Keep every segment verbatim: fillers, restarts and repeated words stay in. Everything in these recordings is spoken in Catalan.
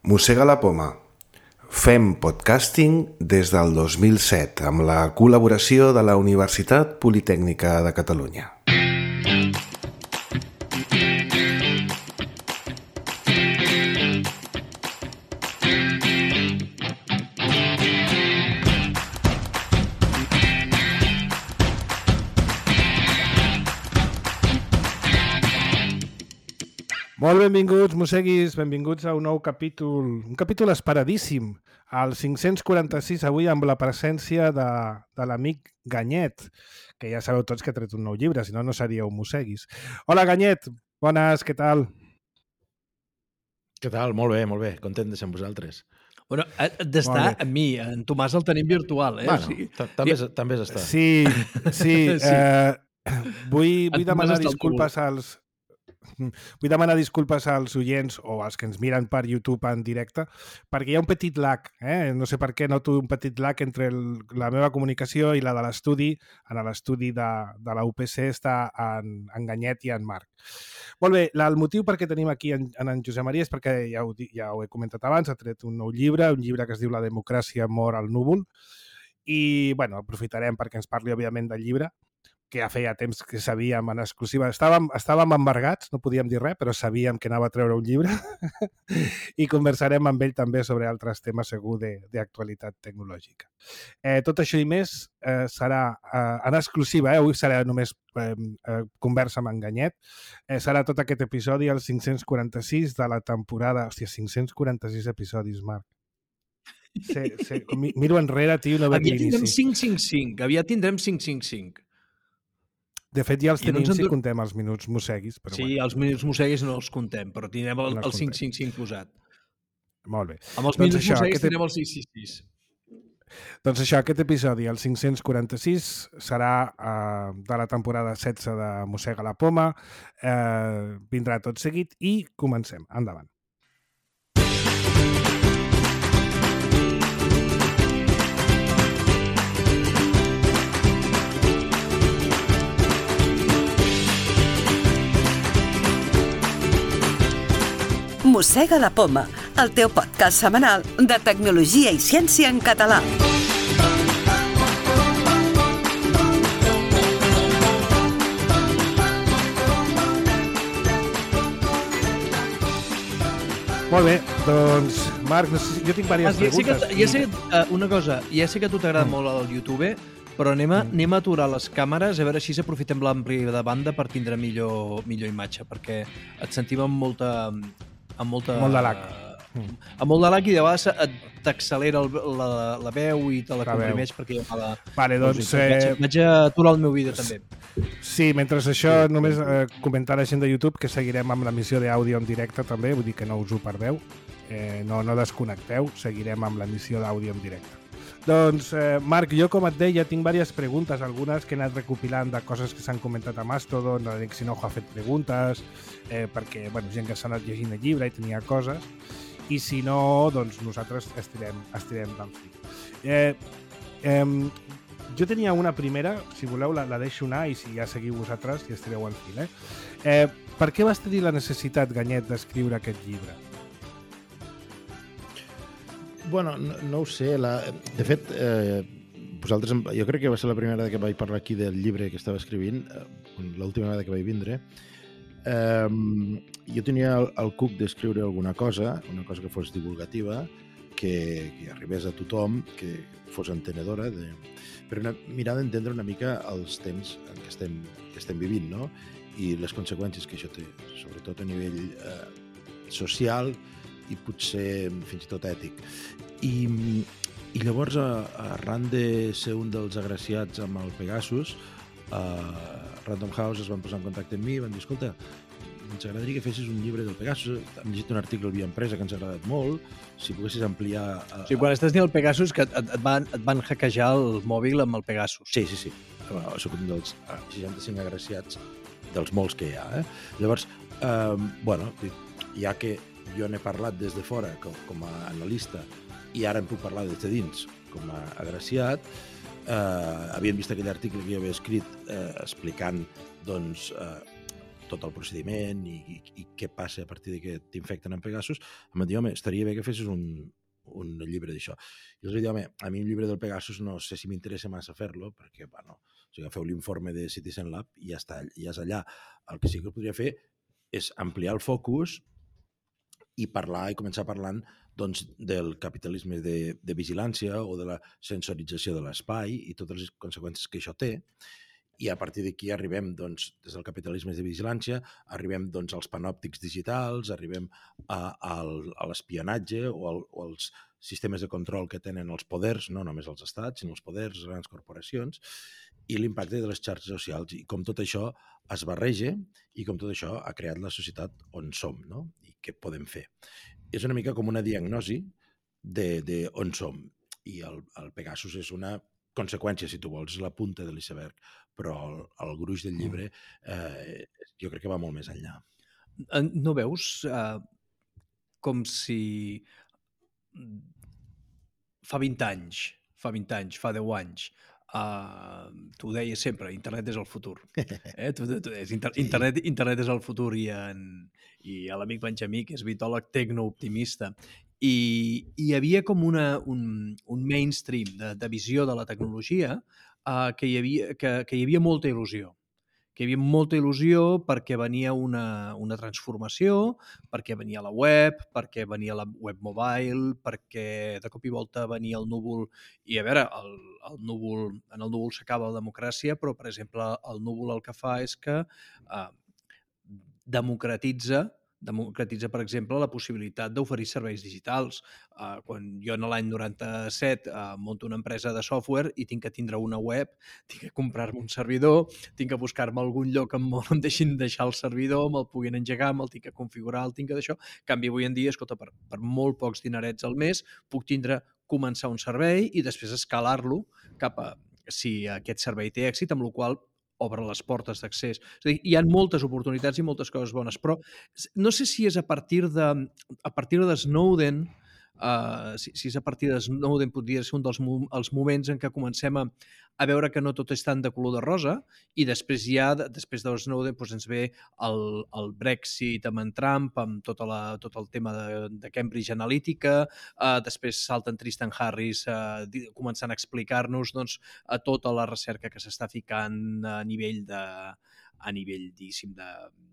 Mossega la poma. Fem podcasting des del dos mil set amb la col·laboració de la Universitat Politècnica de Catalunya. Molt benvinguts, mosseguis, benvinguts a un nou capítol, un capítol esperadíssim, el cinc-cents quaranta-sis, avui amb la presència de, de l'amic Ganyet, que ja sabeu tots que ha tret un nou llibre, si no, no seríeu mosseguis. Hola, Ganyet, bones, què tal? Què tal? Molt bé, molt bé, content de ser amb vosaltres. Bueno, d'estar amb mi, en Tomàs el tenim virtual, eh? Bueno, o sigui, també, és, també és estar. Sí, sí, Sí. Eh, vull, vull En Tomàs demanar està al disculpes als... Vull demanar disculpes als oients o als que ens miren per YouTube en directe, perquè hi ha un petit lag, eh? no sé per què noto un petit lag entre el, la meva comunicació i la de l'estudi. En l'estudi de, de la U P C està en, en Ganyet i en Marc. Molt bé, la, el motiu per què tenim aquí en, en, en Josep Maria és perquè, ja ho, ja ho he comentat abans, ha tret un nou llibre, un llibre que es diu La democràcia mor al núvol, i bueno, aprofitarem perquè ens parli, òbviament, del llibre, que ja feia temps que sabíem en exclusiva. Estàvem, estàvem embargats, no podíem dir res, però sabíem que anava a treure un llibre i conversarem amb ell també sobre altres temes segur d'actualitat tecnològica. Eh, tot això i més eh, serà eh, en exclusiva, eh? Avui serà només eh, eh, conversa amb en Ganyet. Eh, serà tot aquest episodi, el cinc-cents quaranta-sis de la temporada... Hòstia, cinc-cents quaranta-sis episodis, Marc. Sí, sí. Miro enrere, tio, no veig l'inici. Aviat tindrem cinc cinc cinc, aviat tindrem cinc cinc cinc. De fet, ja els I no tenim ens si endur- contem els minuts mosseguis. Però Sí, bueno, els minuts mosseguis no els contem, però tindrem el, No els el cinc contem. cinc cinc posat. molt bé. Amb els Doncs minuts això, mosseguis aquest- tindrem el sis sis sis. Doncs això, aquest episodi, el cinc-cents quaranta-sis, serà eh, de la temporada setze de Mossega la poma. Eh, vindrà tot seguit i comencem. Endavant. Mossega la poma, el teu podcast setmanal de tecnologia i ciència en català. Molt bé, doncs, Marc, no sé, si- jo tinc diverses Ja sé que, preguntes. ja sé que, uh, una cosa, ja sé que a tu t'agrada molt el YouTube, però anem a, anem a aturar les càmeres a veure si aprofitem l'ampli de banda per tindre millor, millor imatge, perquè et sentim amb molta... amb molta Molt de lag. Mm. Amb molt de lag i de vegades et- t'accelera el- la, la veu i te la, La comprimeix perquè hi ha mala... Vale, doncs, música. Vaig, eh, vaig a aturar el meu vídeo també. Sí, mentre això, només eh, comentar a la gent de YouTube que seguirem amb l'emissió d'àudio en directe també, vull dir que no us ho perdeu. Eh, no, no desconnecteu, seguirem amb l'emissió d'àudio en directe. Doncs, eh, Marc, jo com et deia, tinc diverses preguntes, algunes que he anat recopilant de coses que s'han comentat a Mastodon, l'Enric Sinojo ha fet preguntes, eh, perquè, bueno, gent que s'ha anat llegint el llibre i tenia coses, i si no, doncs nosaltres estirem, estirem del fil. Eh, eh, jo tenia una primera, si voleu la, la deixo anar i si ja seguiu vosaltres i estireu al fil. Eh? Eh, per què vas tenir la necessitat, Ganyet, d'escriure aquest llibre? Bueno, no, no ho sé. La... De fet, eh, vosaltres, jo crec que va ser la primera vegada que vaig parlar aquí del llibre que estava escrivint, eh, l'última vegada que vaig vindre. Eh, jo tenia el, el cuc d'escriure alguna cosa, una cosa que fos divulgativa, que, que arribés a tothom, que fos entenedora, de... per una, mirar d'entendre una mica els temps en què estem, que estem vivint, no? I les conseqüències que això té, sobretot a nivell eh, social i potser fins i tot ètic. I, i llavors, arran de ser un dels agraciats amb el Pegasus, uh, Random House es van posar en contacte amb mi i van dir, escolta, ens agradaria que fessis un llibre del Pegasus, hem llegit un article via empresa que ens ha agradat molt, si poguessis ampliar... Uh, O sigui, quan estàs dient el Pegasus, que et, et, van, et van hackejar el mòbil amb el Pegasus. Sí, sí, sí. Bueno, soc un dels seixanta-cinc agraciats dels molts que hi ha. Eh? Llavors, eh, bueno, ja que jo n'he parlat des de fora com, com a analista i ara en puc parlar des de dins com a agraciat, eh, havien vist aquell article que jo havia escrit eh, explicant doncs, eh, tot el procediment i, i, i què passa a partir de que t'infecten amb Pegasus, em va dir, home, estaria bé que fessis un, un llibre d'això. I els vaig dir, home, a mi un llibre del Pegasus no sé si m'interessa massa fer-lo, perquè, bueno, o sigui, feu l'informe de Citizen Lab i ja està, ja és allà. El que sí que podria fer és ampliar el focus i parlar i començar parlant doncs, del capitalisme de, de vigilància o de la sensorització de l'espai i totes les conseqüències que això té. I a partir d'aquí arribem, doncs, des del capitalisme de vigilància, arribem doncs, als panòptics digitals, arribem a, a, a l'espionatge o, al, o als sistemes de control que tenen els poders, no només els estats, sinó els poders, les grans corporacions, i l'impacte de les xarxes socials. I com tot això es barreja i com tot això ha creat la societat on som, no? I què podem fer. És una mica com una diagnosi de, de on som. I el, el Pegasus és una conseqüència, si tu vols, és la punta de l'iceberg, però el, el gruix del llibre eh, jo crec que va molt més enllà. No veus eh, com si fa vint anys, fa vint anys, fa deu anys, uh, tu ho deies sempre, internet és el futur. Eh? Tu, tu, tu, inter internet, internet és el futur i, en, i l'amic Benjamí, que és vitòleg tecnooptimista, i hi havia com una, un, un mainstream de, de visió de la tecnologia uh, que, hi havia, que, que hi havia molta il·lusió. que hi havia molta il·lusió perquè venia una, una transformació, perquè venia la web, perquè venia la web mobile, perquè de cop i volta venia el núvol. I a veure, el, el núvol, en el núvol s'acaba la democràcia, però, per exemple, el núvol el que fa és que eh, democratitza democratitza, per exemple, la possibilitat d'oferir serveis digitals. Uh, quan jo en l'any noranta-set uh, monto una empresa de software i tinc que tindre una web, tinc que comprar-me un servidor, tinc que buscar-me algun lloc on em deixin deixar el servidor, me'l puguin engegar, me'l tinc que configurar, el tinc que d'això. En canvi, avui en dia, escolta, per, per molt pocs dinerets al mes, puc tindre, començar un servei i després escalar-lo cap a si aquest servei té èxit, amb la qual obre les portes d'accés. És a dir, hi ha moltes oportunitats i moltes coses bones, però no sé si és a partir de, a partir de Snowden, uh, si, si és a partir de Snowden podria ser un dels mo els moments en què comencem a, a veure que no tot és tant de color de rosa i després ja, després de Snowden, doncs ens ve el, el Brexit amb en Trump, amb tota la, tot el tema de, de Cambridge Analytica, uh, després salta en Tristan Harris uh, començant a explicar-nos doncs, a tota la recerca que s'està ficant a nivell de a nivell, diguéssim, de,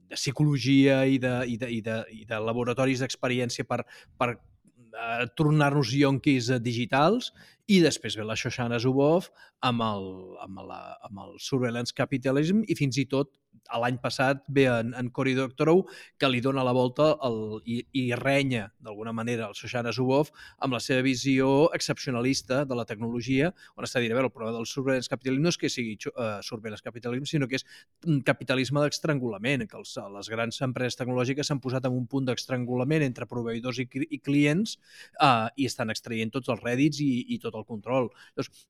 de psicologia i de, i de, i de, i de laboratoris d'experiència per, per uh, tornar-nos yonquis digitals, i després ve la Shoshana Zuboff amb el, amb la, amb el Surveillance Capitalism i fins i tot l'any passat ve en, en Cory Doctorow que li dona la volta el, i, i renya d'alguna manera el Shoshana Zuboff amb la seva visió excepcionalista de la tecnologia, on està dient, a veure, el problema del Surveillance Capitalism no és que sigui uh, Surveillance Capitalism, sinó que és un capitalisme d'estrangulament, que els, les grans empreses tecnològiques s'han posat en un punt d'estrangulament entre proveïdors i, i clients uh, i estan extraient tots els rèdits i, i tot el control. Llavors,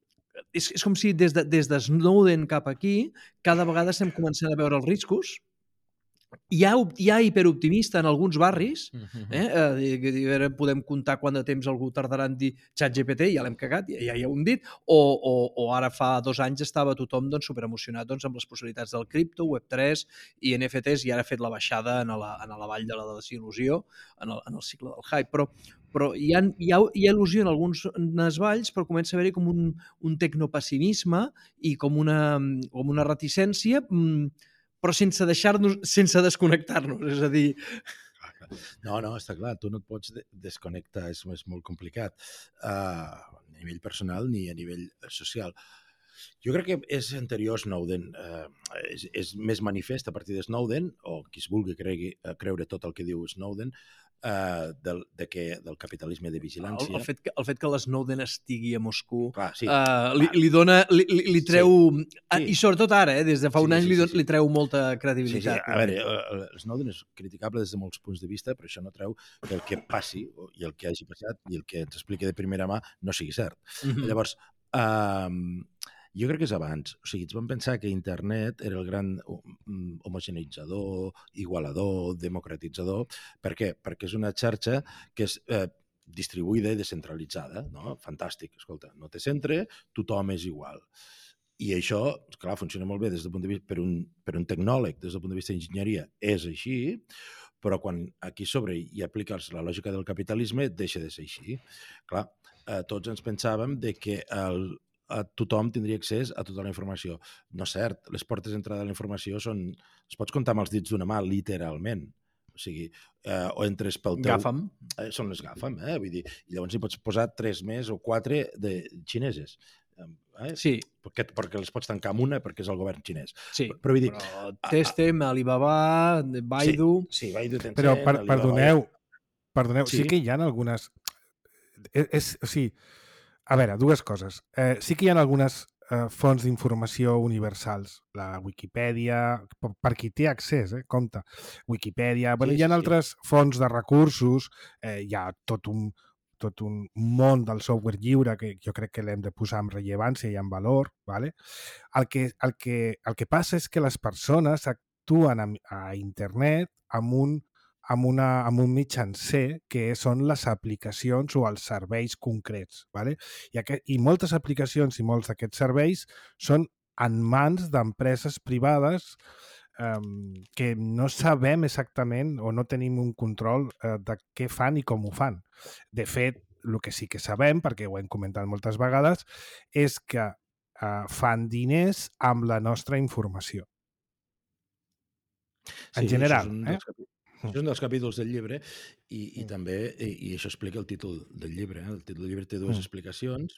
és, és com si des de, des de Snowden cap aquí cada vegada estem començant a veure els riscos. Hi ha, hi ha hiperoptimista en alguns barris, eh? Eh, podem comptar quant de temps algú tardarà en dir ChatGPT, ja l'hem cagat, ja, ja hi hem dit, o, o, o ara fa dos anys estava tothom doncs, superemocionat doncs, amb les possibilitats del cripto, web tres i N F Ts, i ara ha fet la baixada en la, en la vall de la desil·lusió, en el, en el cicle del hype, però però hi ha, hi ha, hi ha il·lusió en alguns valls, però comença a haver-hi com un, un tecnopessimisme i com una, com una reticència, però sense deixar-nos, sense desconnectar-nos, és a dir... No, no, està clar, tu no et pots desconnectar, és, és molt complicat, uh, a nivell personal ni a nivell social. Jo crec que és anterior a Snowden, uh, és, és més manifest a partir de Snowden, o qui es vulgui cregui, creure tot el que diu Snowden, Uh, del, de que, del capitalisme de vigilància. El, el, fet que, el fet que l'Snowden estigui a Moscou clar, sí, uh, li, li dona, li, li, li treu, sí, sí. I sobretot ara, eh, des de fa sí, un any, sí, sí, li, don, sí. li treu molta credibilitat. Sí, sí. A veure, l'Snowden és criticable des de molts punts de vista, però això no treu que el que passi, i el que hagi passat, i el que ens expliqui de primera mà, no sigui cert. Mm-hmm. Llavors, uh, jo crec que és abans. O sigui, ens vam pensar que internet era el gran homogeneitzador, igualador, democratitzador. Per què? Perquè és una xarxa que és eh, distribuïda i descentralitzada, no? Fantàstic, escolta, no té centre, tothom és igual. I això, clar, funciona molt bé des del punt de vista, per un, per un tecnòleg, des del punt de vista d'enginyeria, és així, però quan aquí sobre hi apliques la lògica del capitalisme, deixa de ser així. Clar, eh, tots ens pensàvem de que el, a tothom tindria accés a tota la informació. No és cert, les portes d'entrada de la informació són, es pots comptar amb els dits d'una mà, literalment. O sigui, eh, o entres pel teu... GAFAM. Eh, són les GAFAM, eh? Vull dir, i llavors hi pots posar tres més o quatre de xineses. Eh? Sí. Perquè, perquè les pots tancar amb una perquè és el govern xinès. Sí, però, però vull dir... Però Testem, Alibaba, Baidu... Sí, sí Baidu, Tencent, Però, per, Alibaba... perdoneu, perdoneu Sí. sí que hi ha algunes... És, és, o sigui, a veure, dues coses. Eh, sí que hi ha algunes eh, fonts d'informació universals. La Wikipedia, per, per qui té accés, eh, compte. Wikipedia, bueno, Sí, hi ha sí, altres fonts de recursos, eh, hi ha tot un, tot un món del software lliure que jo crec que l'hem de posar en rellevància i en valor. ¿Vale? El, que, el, que, el que passa és que les persones actuen a, a internet amb un amb, una, amb un mitjancer que són les aplicacions o els serveis concrets. ¿Vale? I, aquest, I moltes aplicacions i molts d'aquests serveis són en mans d'empreses privades eh, que no sabem exactament o no tenim un control eh, de què fan i com ho fan. De fet, el que sí que sabem, perquè ho hem comentat moltes vegades, és que eh, fan diners amb la nostra informació. En sí, general. Això és un eh? dels capi... Això és un dels capítols del llibre i, i Mm. també, i, i això explica el títol del llibre. Eh? El títol del llibre té dues Mm. explicacions.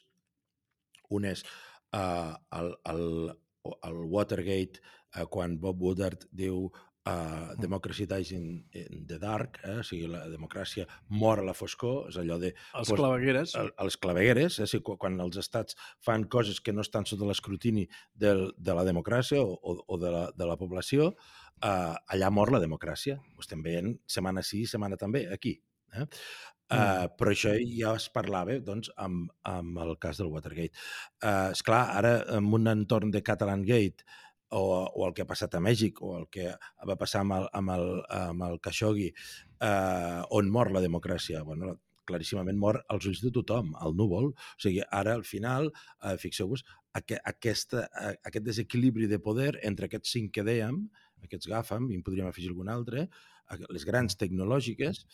Un és uh, el, el, el Watergate, uh, quan Bob Woodward diu uh, Democracy dies in, in the dark, eh? O sigui, la democràcia mor a la foscor, és allò de... Els pues, clavegueres. el, els clavegueres, eh? O sigui, quan els estats fan coses que no estan sota l'escrutini de la democràcia o, o, o de, la, de la població, Uh, allà mor la democràcia. Ho estem veient setmana sí, setmana també, aquí. Eh? Uh, mm. Però això ja es parlava doncs, amb, amb el cas del Watergate. Uh, esclar, ara, en un entorn de Catalan Gate, o, o el que ha passat a Mèxic, o el que va passar amb el, amb el, amb el Khashoggi, uh, on mor la democràcia, bueno, claríssimament mor als ulls de tothom, al núvol. O sigui, ara, al final, uh, fixeu-vos, aqu aquesta, uh, aquest desequilibri de poder entre aquests cinc que dèiem, aquests GAFAM, i en podríem afegir algun altre, les grans tecnològiques,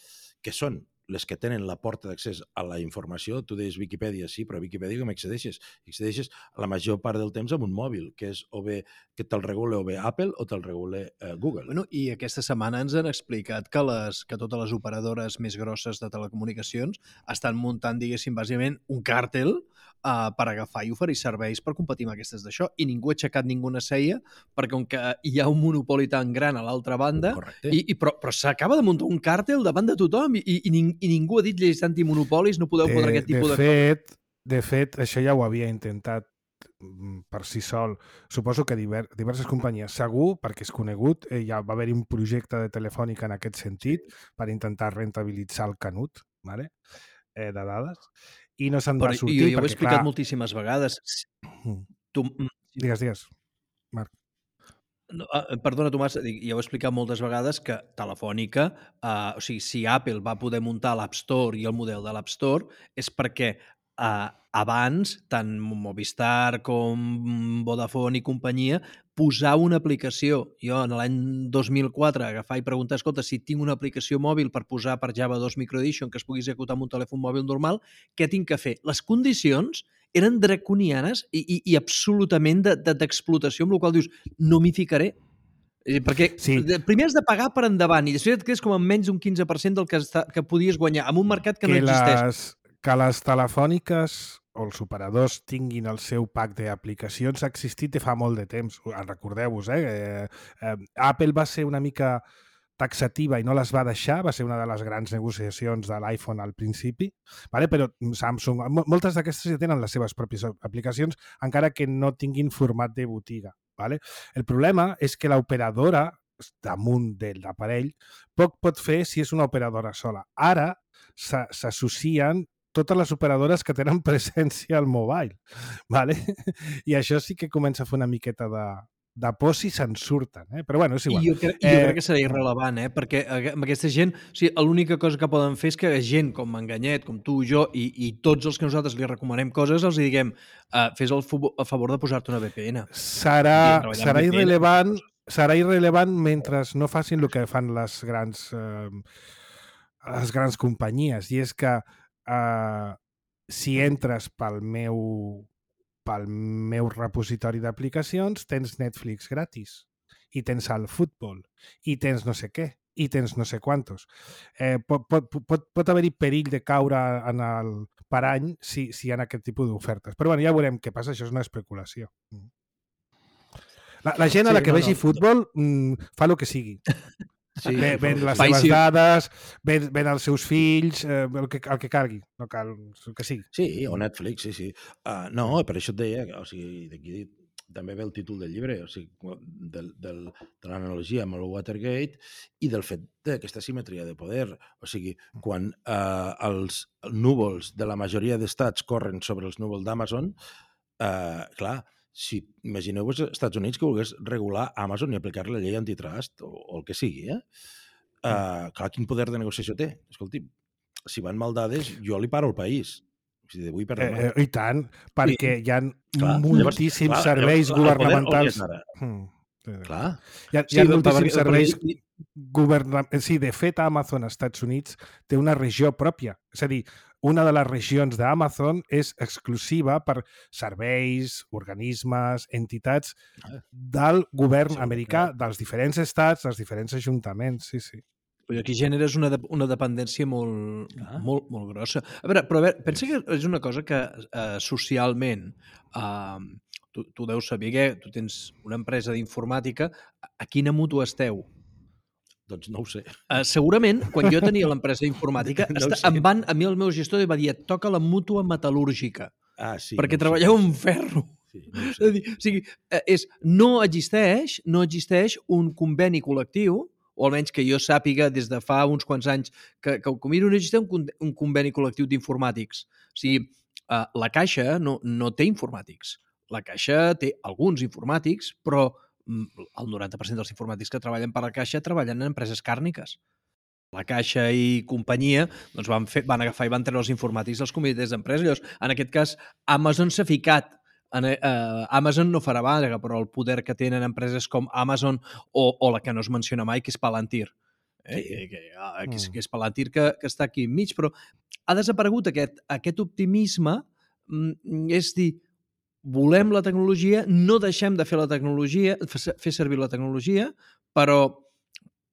que són les que tenen la porta d'accés a la informació. Tu deies Viquipèdia, sí, però a Viquipèdia com accedeixes? Accedeixes la major part del temps amb un mòbil, que és o bé que te'l regula o bé Apple o te'l regula eh, Google. Bueno, i aquesta setmana ens han explicat que, les, que totes les operadores més grosses de telecomunicacions estan muntant, diguéssim, bàsicament un càrtel uh, per agafar i oferir serveis per competir amb aquestes d'això, i ningú ha aixecat ninguna ceia perquè com que hi ha un monopoli tan gran a l'altra banda, i, i, però, però s'acaba de muntar un càrtel davant de tothom i, i, i i ningú ha dit lleis antimonopolis, no podeu fotre aquest tipus de... De fet, de fet, això ja ho havia intentat per si sol. Suposo que diver, diverses companyies, segur, perquè és conegut, eh, ja va haver-hi un projecte de Telefònica en aquest sentit per intentar rentabilitzar el canut, ¿vale? eh, de dades, i no se'n va sortir. Jo, jo ho he perquè, explicat clar... moltíssimes vegades. Tu... Digues, digues, Marc. No, perdona, Tomàs, ja ho he explicat moltes vegades que Telefònica, eh, o sigui, si Apple va poder muntar l'App Store i el model de l'App Store és perquè eh, abans, tant Movistar com Vodafone i companyia, posar una aplicació. Jo, en l'any dos mil quatre, agafar i preguntar, escolta, si tinc una aplicació mòbil per posar per Java dos Micro Edition que es pugui executar amb un telèfon mòbil normal, què tinc que fer? Les condicions eren draconianes i, i, i absolutament d'explotació, de, de, amb la qual dius, no m'hi ficaré. Perquè sí. primer has de pagar per endavant i després et quedes com amb menys d'un quinze per cent del que, està, que podies guanyar en un mercat que, que no existeix. Les, que les telefòniques o els operadors tinguin el seu pack d'aplicacions ha existit de fa molt de temps. Recordeu-vos, eh? eh, eh Apple va ser una mica taxativa i no les va deixar, va ser una de les grans negociacions de l'iPhone al principi, vale? Però Samsung, moltes d'aquestes ja tenen les seves pròpies aplicacions, encara que no tinguin format de botiga. Vale? El problema és que l'operadora, damunt de l'aparell, poc pot fer si és una operadora sola. Ara s'associen totes les operadores que tenen presència al mobile. Vale? I això sí que comença a fer una miqueta de, de por si se'n surten. Eh? Però bueno, és igual. I jo, crec, eh, jo crec que serà irrelevant, eh? Perquè amb aquesta gent, o sigui, l'única cosa que poden fer és que gent com Manganyet, com tu, jo i, i tots els que nosaltres li recomanem coses, els diguem, uh, fes el, el favor de posar-te una V P N. Serà, serà irrelevant serà irrelevant mentre no facin el que fan les grans eh, les grans companyies, i és que eh, si entres pel meu pel meu repositori d'aplicacions tens Netflix gratis i tens el futbol i tens no sé què i tens no sé quantos. Eh, pot pot, pot, pot haver-hi perill de caure en el parany si, si hi ha aquest tipus d'ofertes. Però bueno, ja veurem què passa, això és una especulació. La, la gent a la que sí, no, vegi no, futbol no. fa el que sigui. Sí, ven, ven les seves sí. dades, ven, ven els seus fills, eh, el, que, el que calgui, no cal el que sigui. Sí, o Netflix, sí, sí. Uh, no, per això et deia, o sigui, d'aquí també ve el títol del llibre, o sigui, del, del, de l'analogia amb el Watergate i del fet d'aquesta simetria de poder. O sigui, quan uh, els núvols de la majoria d'estats corren sobre els núvols d'Amazon, uh, clar, si imagineu-vos als Estats Units que volgués regular Amazon i aplicar la llei antitrust o, o el que sigui, eh? Uh, clar, quin poder de negociació té? Escolti, si van mal dades, jo li paro el país. O sigui, d'avui per demà. Eh, I tant, perquè sí. hi ha clar, moltíssims llavors, serveis clar, governamentals... Hmm. Clar. Hi ha, hi ha sí, moltíssims serveis governamentals. Sí, de fet, Amazon als Estats Units té una regió pròpia. És a dir, una de les regions d'Amazon és exclusiva per serveis, organismes, entitats del govern sí, americà, clar. dels diferents estats, dels diferents ajuntaments. Sí, sí. Però aquí generes una, de, una dependència molt, molt, molt grossa. A veure, però a veure, pensa que és una cosa que eh, socialment... Eh, Tu, tu deus saber que tu tens una empresa d'informàtica. A quina mútua esteu? Doncs no ho sé. Uh, segurament, quan jo tenia l'empresa informàtica, no esta, em van, a mi el meu gestor va dir et toca la mútua metal·lúrgica. Ah, sí. Perquè no treballeu sé. en ferro. Sí, no ho sé. O sigui, és, no existeix, no existeix un conveni col·lectiu, o almenys que jo sàpiga des de fa uns quants anys que, que ho miro, no existeix un, un conveni col·lectiu d'informàtics. O sigui, uh, la Caixa no, no té informàtics. La Caixa té alguns informàtics, però el noranta per cent dels informàtics que treballen per la Caixa treballen en empreses càrniques. La Caixa i companyia doncs van, fer, van agafar i van treure els informàtics dels comitès d'empresa. Llavors, en aquest cas, Amazon s'ha ficat. En, eh, Amazon no farà vaga, però el poder que tenen empreses com Amazon o, o la que no es menciona mai, que és Palantir. Eh? Sí. Que, que, que, és, que és Palantir que, que està aquí enmig, però ha desaparegut aquest, aquest optimisme, és dir, volem la tecnologia, no deixem de fer la tecnologia, fer servir la tecnologia, però,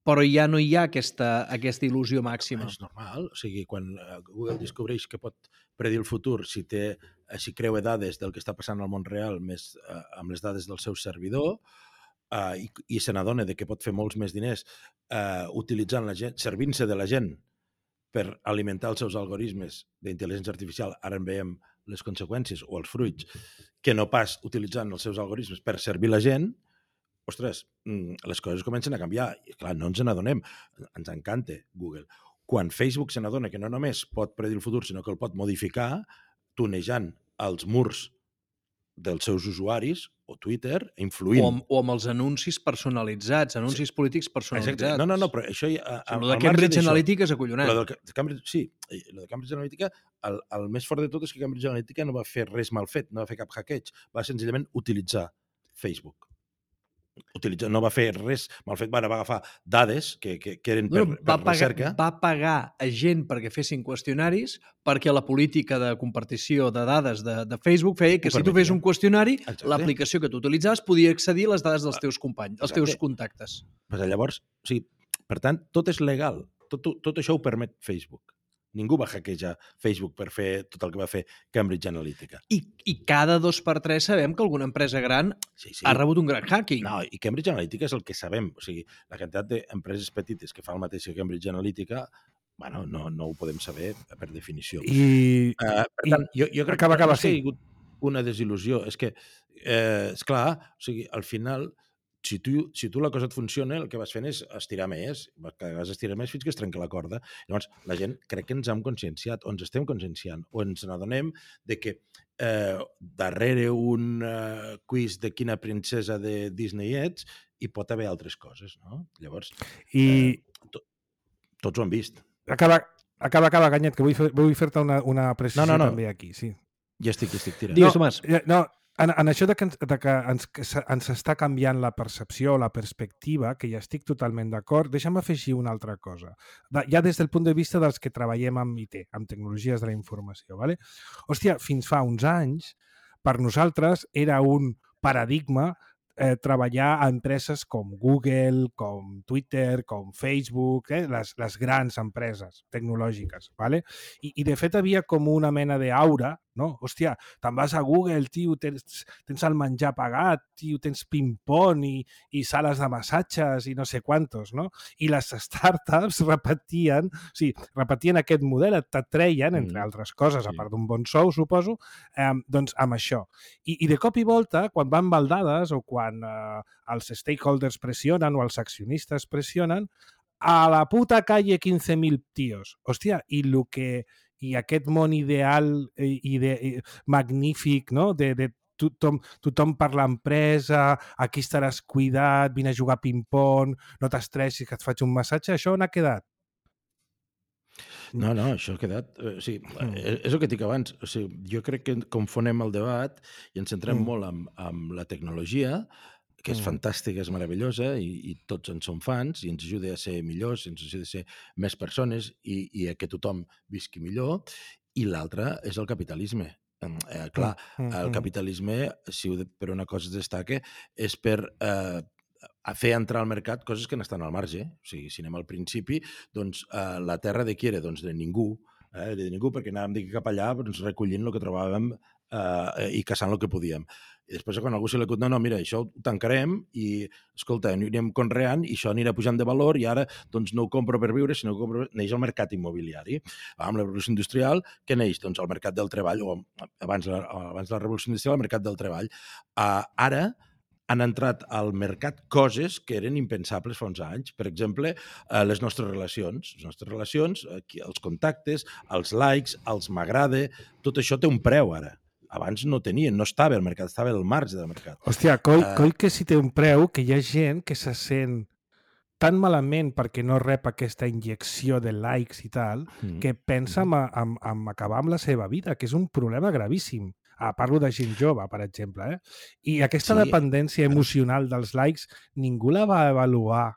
però ja no hi ha aquesta, aquesta il·lusió màxima. És normal. O sigui, quan Google descobreix que pot predir el futur si té, si creua dades del que està passant al món real més eh, amb les dades del seu servidor eh, i, i se n'adona de que pot fer molts més diners eh, utilitzant la gent, servint-se de la gent per alimentar els seus algoritmes d'intel·ligència artificial, ara en veiem les conseqüències o els fruits, que no pas utilitzant els seus algoritmes per servir la gent, ostres, les coses comencen a canviar. I clar, no ens n'adonem. Ens encanta Google. Quan Facebook se n'adona que no només pot predir el futur, sinó que el pot modificar, tunejant els murs dels seus usuaris o Twitter, influint. O amb, o amb els anuncis personalitzats, anuncis sí. polítics personalitzats. Exacte. No, no, no, però això... Ja, o sigui, el de Cambridge Analytica és acollonant. Lo de Cambridge, sí, el de Cambridge Analytica, el, el més fort de tot és que Cambridge Analytica no va fer res mal fet, no va fer cap hackeig, va senzillament utilitzar Facebook. Utilitzar, no va fer res mal fet, va agafar dades que, que, que eren per, no, per pagar, recerca. Va pagar a gent perquè fessin qüestionaris perquè la política de compartició de dades de, de Facebook feia que si tu fes un qüestionari, l'aplicació que tu utilitzaves podia accedir a les dades dels teus companys, dels teus contactes. Pues llavors, o sigui, per tant, tot és legal. Tot, tot això ho permet Facebook. Ningú va hackejar Facebook per fer tot el que va fer Cambridge Analytica. I, i cada dos per tres sabem que alguna empresa gran sí, sí. ha rebut un gran hacking. No, i Cambridge Analytica és el que sabem. O sigui, la quantitat d'empreses petites que fa el mateix que Cambridge Analytica, bueno, no, no ho podem saber per definició. I, uh, per tant, i jo, jo crec acaba, que acaba, ha sigut una desil·lusió. És que, eh, és clar, o sigui, al final, si tu, si tu la cosa et funciona, el que vas fent és estirar més, cada vegada estirar més fins que es trenca la corda. Llavors, la gent crec que ens hem conscienciat, o ens estem conscienciant, o ens n'adonem de que eh, darrere un eh, quiz de quina princesa de Disney ets, hi pot haver altres coses, no? Llavors, I... eh, to, tots ho han vist. Acaba, acaba, acaba, Ganyet, que vull, fer, vull fer-te una, una precisió no, no, no. també aquí, sí. Ja estic, ja estic, tira. Digues, no, Tomàs. No, en, en això de que, ens, de que ens, que ens està canviant la percepció, la perspectiva, que ja estic totalment d'acord, deixa'm afegir una altra cosa. De, ja des del punt de vista dels que treballem amb I T, amb tecnologies de la informació. ¿vale? Hòstia, fins fa uns anys, per nosaltres era un paradigma eh, treballar a empreses com Google, com Twitter, com Facebook, eh, les, les grans empreses tecnològiques. ¿vale? I, I, de fet, havia com una mena d'aura, no? Hòstia, te'n vas a Google, tio, tens, tens el menjar pagat, tio, tens ping-pong i, i sales de massatges i no sé quantos, no? I les startups repetien, o sigui, repetien aquest model, t'atreien, entre altres coses, sí. a part d'un bon sou, suposo, eh, doncs amb això. I, I de cop i volta, quan van baldades o quan eh, els stakeholders pressionen o els accionistes pressionen, a la puta calle quinze mil tios. Hòstia, i el que... i aquest món ideal i, i de, i, magnífic, no? de, de tothom, tothom per l'empresa, aquí estaràs cuidat, vine a jugar a ping-pong, no t'estressis que et faig un massatge, això on ha quedat? No, no, això ha quedat... O sigui, és, és el que dic abans. O sigui, jo crec que confonem el debat i ens centrem mm. molt amb, amb la tecnologia, que és fantàstica, és meravellosa i, i tots en som fans i ens ajuda a ser millors, ens ajuda a ser més persones i, i a que tothom visqui millor. I l'altre és el capitalisme. Eh, clar, el capitalisme, si per una cosa es destaca, és per eh, a fer entrar al mercat coses que n'estan al marge. O sigui, si anem al principi, doncs eh, la terra de qui era? Doncs de ningú. Eh, de ningú, perquè anàvem d'aquí cap allà doncs, recollint el que trobàvem eh, i caçant el que podíem. I després, quan algú se li acut, no, no, mira, això ho tancarem i, escolta, anirem conreant i això anirà pujant de valor i ara doncs, no ho compro per viure, sinó que compro... neix el mercat immobiliari. Amb la revolució industrial, què neix? Doncs el mercat del treball, o abans, abans de la revolució industrial, el mercat del treball. Uh, ara han entrat al mercat coses que eren impensables fa uns anys. Per exemple, eh, les nostres relacions. Les nostres relacions, aquí, els contactes, els likes, els m'agrada, tot això té un preu ara. Abans no tenien, no estava al mercat, estava al marge del mercat. Hòstia, coi, uh, coi que si té un preu, que hi ha gent que se sent tan malament perquè no rep aquesta injecció de likes i tal, mm. que pensa en, en, en acabar amb la seva vida, que és un problema gravíssim. Ah, parlo de gent jove, per exemple. Eh? I aquesta sí. dependència emocional dels likes, ningú la va avaluar.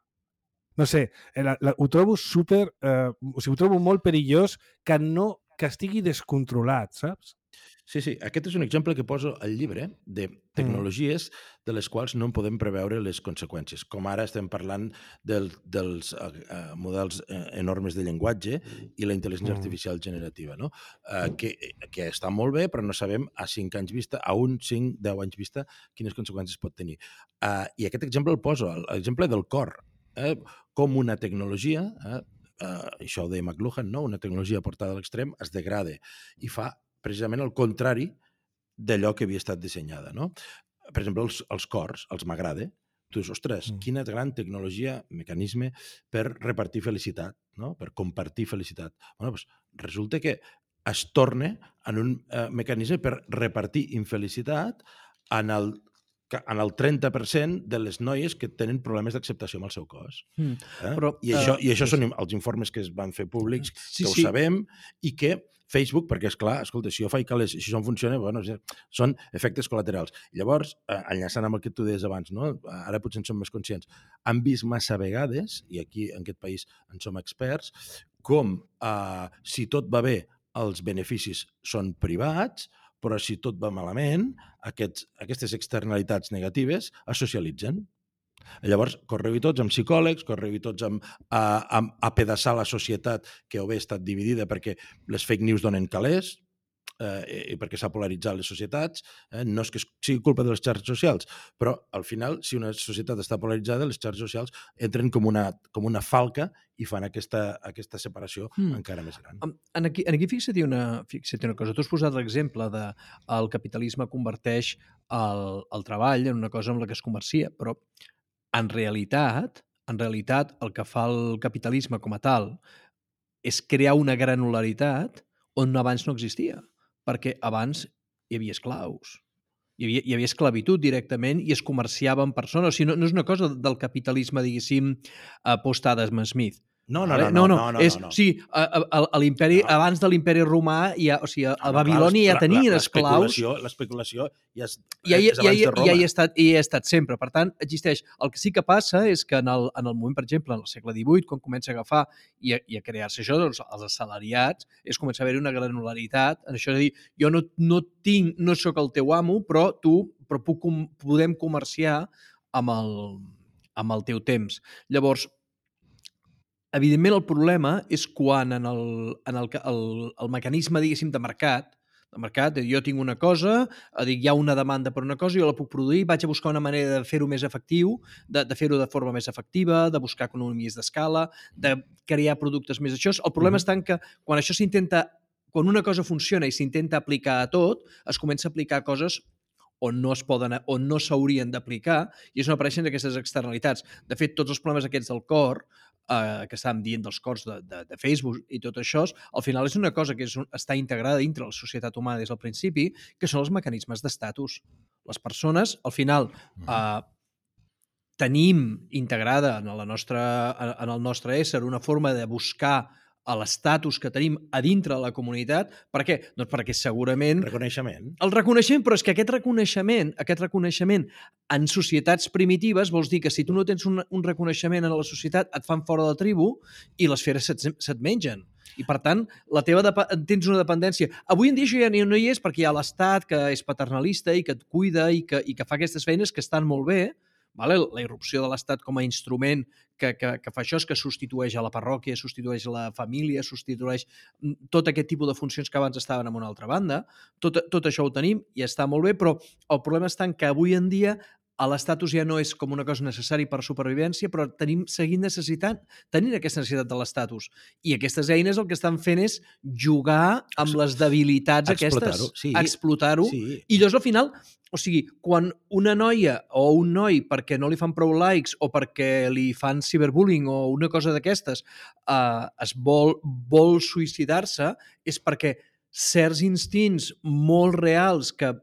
No sé, la, la, ho trobo super... Eh, o sigui, ho trobo molt perillós que, no, que estigui descontrolat, saps? Sí, sí. Aquest és un exemple que poso al llibre de tecnologies de les quals no en podem preveure les conseqüències. Com ara estem parlant del, dels uh, models uh, enormes de llenguatge i la intel·ligència artificial generativa, no? Uh, que, que està molt bé, però no sabem a cinc anys vista, a un, cinc, deu anys vista, quines conseqüències pot tenir. Uh, I aquest exemple el poso, l'exemple del cor. Eh? Com una tecnologia, eh? uh, això ho deia McLuhan, no? Una tecnologia portada a l'extrem es degrada i fa precisament el contrari d'allò que havia estat dissenyada, no? Per exemple, els, els cors, els m'agrada. Tu dius, ostres, mm. quina gran tecnologia, mecanisme per repartir felicitat, no? Per compartir felicitat. Bueno, doncs resulta que es torna en un eh, mecanisme per repartir infelicitat en el en el trenta per cent de les noies que tenen problemes d'acceptació amb el seu cos. Mm. Eh? Però, I això, uh, i això sí. són els informes que es van fer públics, sí, que ho sí. sabem, i que Facebook, perquè és clar, escolta, si jo faig que les, si això funciona, bueno, són efectes col·laterals. Llavors, eh, enllaçant amb el que tu deies abans, no? Ara potser en som més conscients, han vist massa vegades, i aquí en aquest país en som experts, com eh, si tot va bé, els beneficis són privats, però si tot va malament, aquests, aquestes externalitats negatives es socialitzen. Llavors, correu-hi tots amb psicòlegs, correu-hi tots amb, a, amb apedaçar la societat que o bé ha estat dividida perquè les fake news donen calés, eh, i perquè s'ha polaritzat les societats. Eh, no és que sigui culpa de les xarxes socials, però al final, si una societat està polaritzada, les xarxes socials entren com una, com una falca i fan aquesta, aquesta separació mm. encara més gran. En aquí, en aquí fixa't una, fixa't una cosa. Tu has posat l'exemple de el capitalisme converteix el, el treball en una cosa amb la que es comercia, però En realitat, en realitat, el que fa el capitalisme com a tal és crear una granularitat on abans no existia, perquè abans hi havia esclaus, hi havia, hi havia esclavitud directament i es comerciava amb persones. O sigui, no, no és una cosa del capitalisme, diguéssim, post-Adam Smith. No, no, Vale? no, no, no, no, no, és, no. O sigui, a, a, a l'imperi, No. abans de l'imperi romà, ja, o sigui, a, a No, Babilònia clar, ja tenien la- esclaus. l'especulació- L'especulació ja és, I ja, és ja, abans ja, de Roma. ja hi ha estat, hi ha estat sempre. Per tant, existeix. El que sí que passa és que en el, en el moment, per exemple, en el segle divuit, quan comença a agafar i a, i a crear-se això, doncs, els assalariats, és començar a haver-hi una granularitat. En això de dir, jo no, no tinc, no sóc el teu amo, però tu però puc, com- podem comerciar amb el, amb el teu temps. Llavors, evidentment, el problema és quan en el, en el, el, el mecanisme, diguéssim, de mercat, de mercat, jo tinc una cosa, dic, hi ha una demanda per una cosa, jo la puc produir, vaig a buscar una manera de fer-ho més efectiu, de, de fer-ho de forma més efectiva, de buscar economies d'escala, de crear productes més això. El problema Mhm. està en que quan això s'intenta, quan una cosa funciona i s'intenta aplicar a tot, es comença a aplicar coses on no es poden, on no s'haurien d'aplicar, i és on apareixen aquestes externalitats. De fet, tots els problemes aquests del cor, eh, que estàvem dient dels cors de, de, de Facebook i tot això, al final és una cosa que és un, està integrada dintre la societat humana des del principi, que són els mecanismes d'estatus. Les persones, al final, eh, tenim integrada en, la nostra, en el nostre ésser una forma de buscar a l'estatus que tenim a dintre de la comunitat. Per què? Doncs perquè segurament Reconeixement. el reconeixement, però és que aquest reconeixement, aquest reconeixement en societats primitives vols dir que si tu no tens un, un reconeixement en la societat et fan fora de la tribu i les feres se't, se't mengen. I, per tant, la teva tens una dependència. Avui en dia això ja no hi és perquè hi ha l'Estat que és paternalista i que et cuida i que, i que fa aquestes feines que estan molt bé. Vale? La irrupció de l'Estat com a instrument que, que, que fa això és que substitueix a la parròquia, substitueix a la família, substitueix tot aquest tipus de funcions que abans estaven en una altra banda. Tot, tot això ho tenim i està molt bé, però el problema està en que avui en dia l'estatus ja no és com una cosa necessària per supervivència, però tenim, seguint necessitant, tenint aquesta necessitat de l'estatus. I aquestes eines el que estan fent és jugar amb les debilitats aquestes. Sí. Explotar-ho. Sí. I llavors, al final, o sigui, quan una noia o un noi, perquè no li fan prou likes o perquè li fan ciberbullying o una cosa d'aquestes, eh, es vol, vol suïcidar-se, és perquè certs instints molt reals que